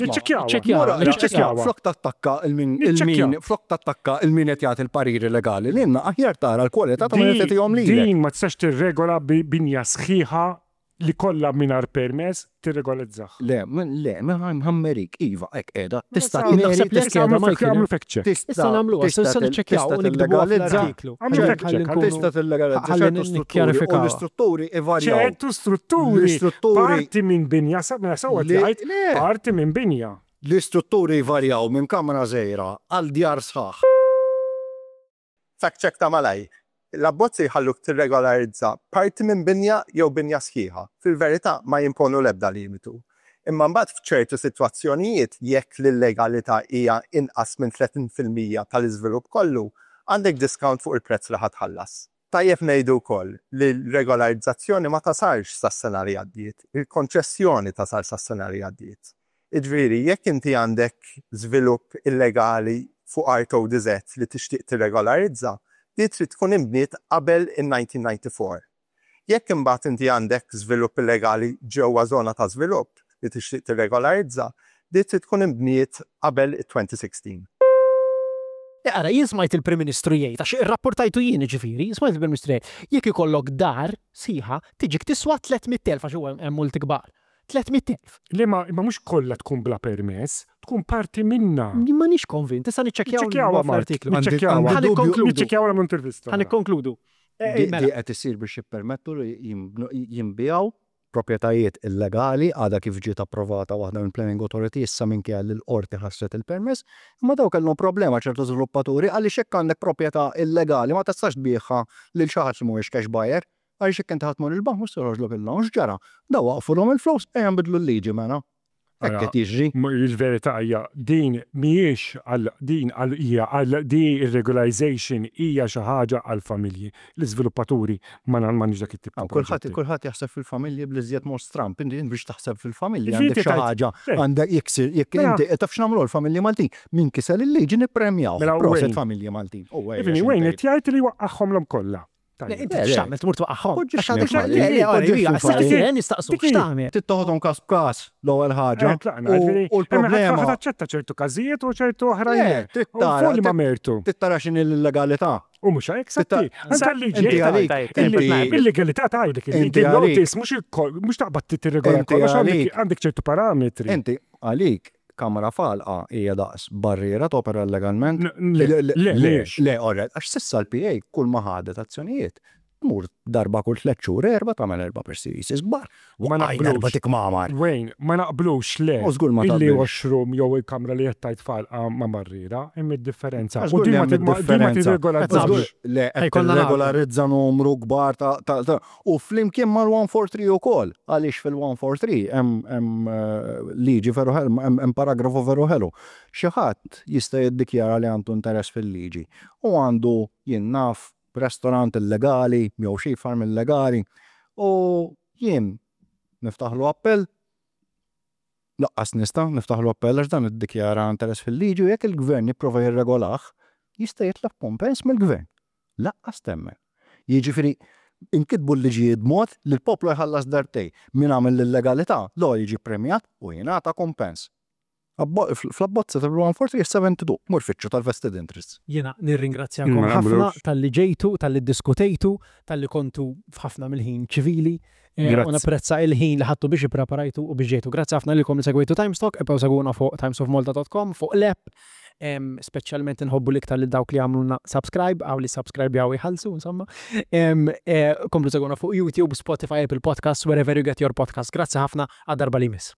niċċekkjawha, niċċekkjawha. Flok tattakka il-min il-min flok tattakka il-min qed jagħti l-pariri legali lilna aħjar tara l-kwalità ta' min qed jagħtihom lilek. Din ma tistax tirregola binja sħiħa li kollha mingħajr permess tirregolizzaha. Le, le, mħammerik, iva, hekk qiegħda. Tista' Jien naħseb li hekk qiegħda, Michael. Għamlu fact check. Issa nagħmluha, issa niċċekkjaw u nikdbuha fl-artiklu. Għamlu fact check. Tista' tillegalizza ċertu strutturi u l-istrutturi ivarjaw. Ċertu strutturi. L-istrutturi. Parti minn binja, mela sewwa tgħid, parti minn binja. L-istrutturi jvarjaw minn kamra żgħira għal djar sħaħ. Fact check ta' malajr. L-abbozzi jħalluk tirregolarizza parti minn binja jew binja sħiħa. Fil-verità ma jimponu l-ebda limitu. Imma mbagħad f'ċertu sitwazzjonijiet jekk l-illegalità hija inqas minn 30% tal-iżvilupp kollu, għandek discount fuq il-prezz li ħa tħallas. Tajjeb ngħidu wkoll li l-regolarizzazzjoni ma tasarx sas-sena li għaddiet, il-konċessjoni tasal sas-sena li għaddiet. Jiġifieri, jekk inti għandek żvilupp illegali fuq art ODZ li tixtieq tirregolarizza, di trid tkun inbniet qabel in-1994. Jekk imbagħad inti għandek żvilupp illegali ġewwa żona ta' żvilupp li tixtieq tirregolarizza, di trid tkun inbniet qabel it-2016. Ara, jien smajt il-Prim Ministru jgħid, għax irrapportajtu jien jiġifieri, smajt il-Prim Ministru jgħid, jekk ikollok dar sħiħa tiġik tiswa 300,000 għax huwa hemm multi kbar. 300,000. Le ma imma mhux kollha tkun bla permess, tkun parti minnha. Jien m'għandix konvint, issa niċċekkjaw Niċċekkjawha Mark, fl-artiklu. niċċekkjawha. Ħa nikkonkludu. Niċċekkjawha nagħmlu intervista. Ħa nikkonkludu. Di qed issir biex jippermettu li jinbiegħu proprjetajiet illegali, għadha kif ġiet approvata waħda mill-Planning Authority issa minkejja li l-Qorti ħassret il-permess, imma dawn kellhom problema ċertu żviluppaturi għaliex jekk għandek proprjetà illegali ma tistax tbigħha lil xi ħadd li mhuwiex cash buyer għaliex jekk inti ħa tmur il-bank mhux se joħroġlok il-loan. X'ġara? Dawn waqqfulhom il-flus, ejja nbiddlu l-liġi mela. Hekk qed jiġri. Il-verità hija din mhijiex għal din għal hija għal di ir-regularization hija xi ħaġa għall-familji. L-iżviluppaturi ma m'għandniex dak it-tip ta' proġetti. Kulħadd jaħseb fil-familji bl-iżjed mod stramb. Inti biex taħseb fil-familji għandek xi ħaġa għandek jekk jekk inti taf x'nagħmlu l-familji Maltin? Min kiser il-liġi nippremjawh. Proset familji Maltin. Wayne qed jgħid li waqqagħhomlhom kollha. Inti x'tagħmel tmur twaqqagħhom? Nistaqsuk x'tagħmel? Trid toħodhom każ b'każ l-ewwel ħaġa. U l-problema. Ħa taċċetta ċertu każijiet u ċertu oħrajn le. Fuq liema mertu. Trid tara x'inhi l-illegalità. U mhux hekk satti. Anke l-liġi Il-legalità tgħidlek il-liġi notice mhux taqbad tirregola kollox għandek ċertu parametri. Inti għalik Kamra f'għalqa hija daqs barriera topera illegalment? Le, le. Le, alright, għax s'issa l-PA kull ma ħadet azzjonijiet, tmur darba kull tlett xhur, erba' tagħmel erba' press releases kbar. Ma Waqqajna naqblux. erba' tikmamar. Wayne, ma naqblux, le. U żgur ma Illi taqbilx. washroom jew il-kamra li qed tgħid f'għalqa ma' barriera, hemm id-differenza. Għax U żgur din li ma hemm din ma id-differenza. tirregola Żgur, le, qed Ħa jkollna nagħlqu. tirregolarizza numru kbar ta' ta' U flimkien mal-143 ukoll, għaliex fil-143 hemm hemm liġi veru ħelu, hemm paragrafu veru ħelu. Xi ħadd jista' jiddikjara li għandu interess fil-liġi u għandu, jien naf, restaurant illegali jew xi farm illegali u jien niftaħlu appell, Laqqas nista' niftaħlu appell għax dan iddikjara interess fil-liġi u jekk il-Gvern jipprova jirregolah, jista' jitlob kumpens mill-Gvern. Laqqas temmen. Jiġifieri, inkitbu l-liġijiet b'mod li l-poplu jħallas darbtejn. Min għamel l-illegalità, l-ewwel jiġi ppremjat u jingħata kumpens. Fl-abbozz ta' 143 72, mur fittxu tal-vested interests. Jiena nirringrazzjakom ħafna talli ġejtu, talli ddiskutejtu, talli kontu f'ħafna mill-ħin ċivili. U napprezza il-ħin li ħadtu biex ippreparajtu u biex ġejtu. Grazzi ħafna lilkom li segwejtu Times Talk, ibqgħu segwuna fuq timesofmalta.com, fuq l-app. Speċjalment inħobbu l-iktar lil dawk li għamlulna subscribe, hawn li subscribejaw jħallsu, insomma. Komplu segwuna fuq YouTube, Spotify, Apple Podcasts, wherever you get your podcasts. Grazzi ħafna, għad-darba li jmiss.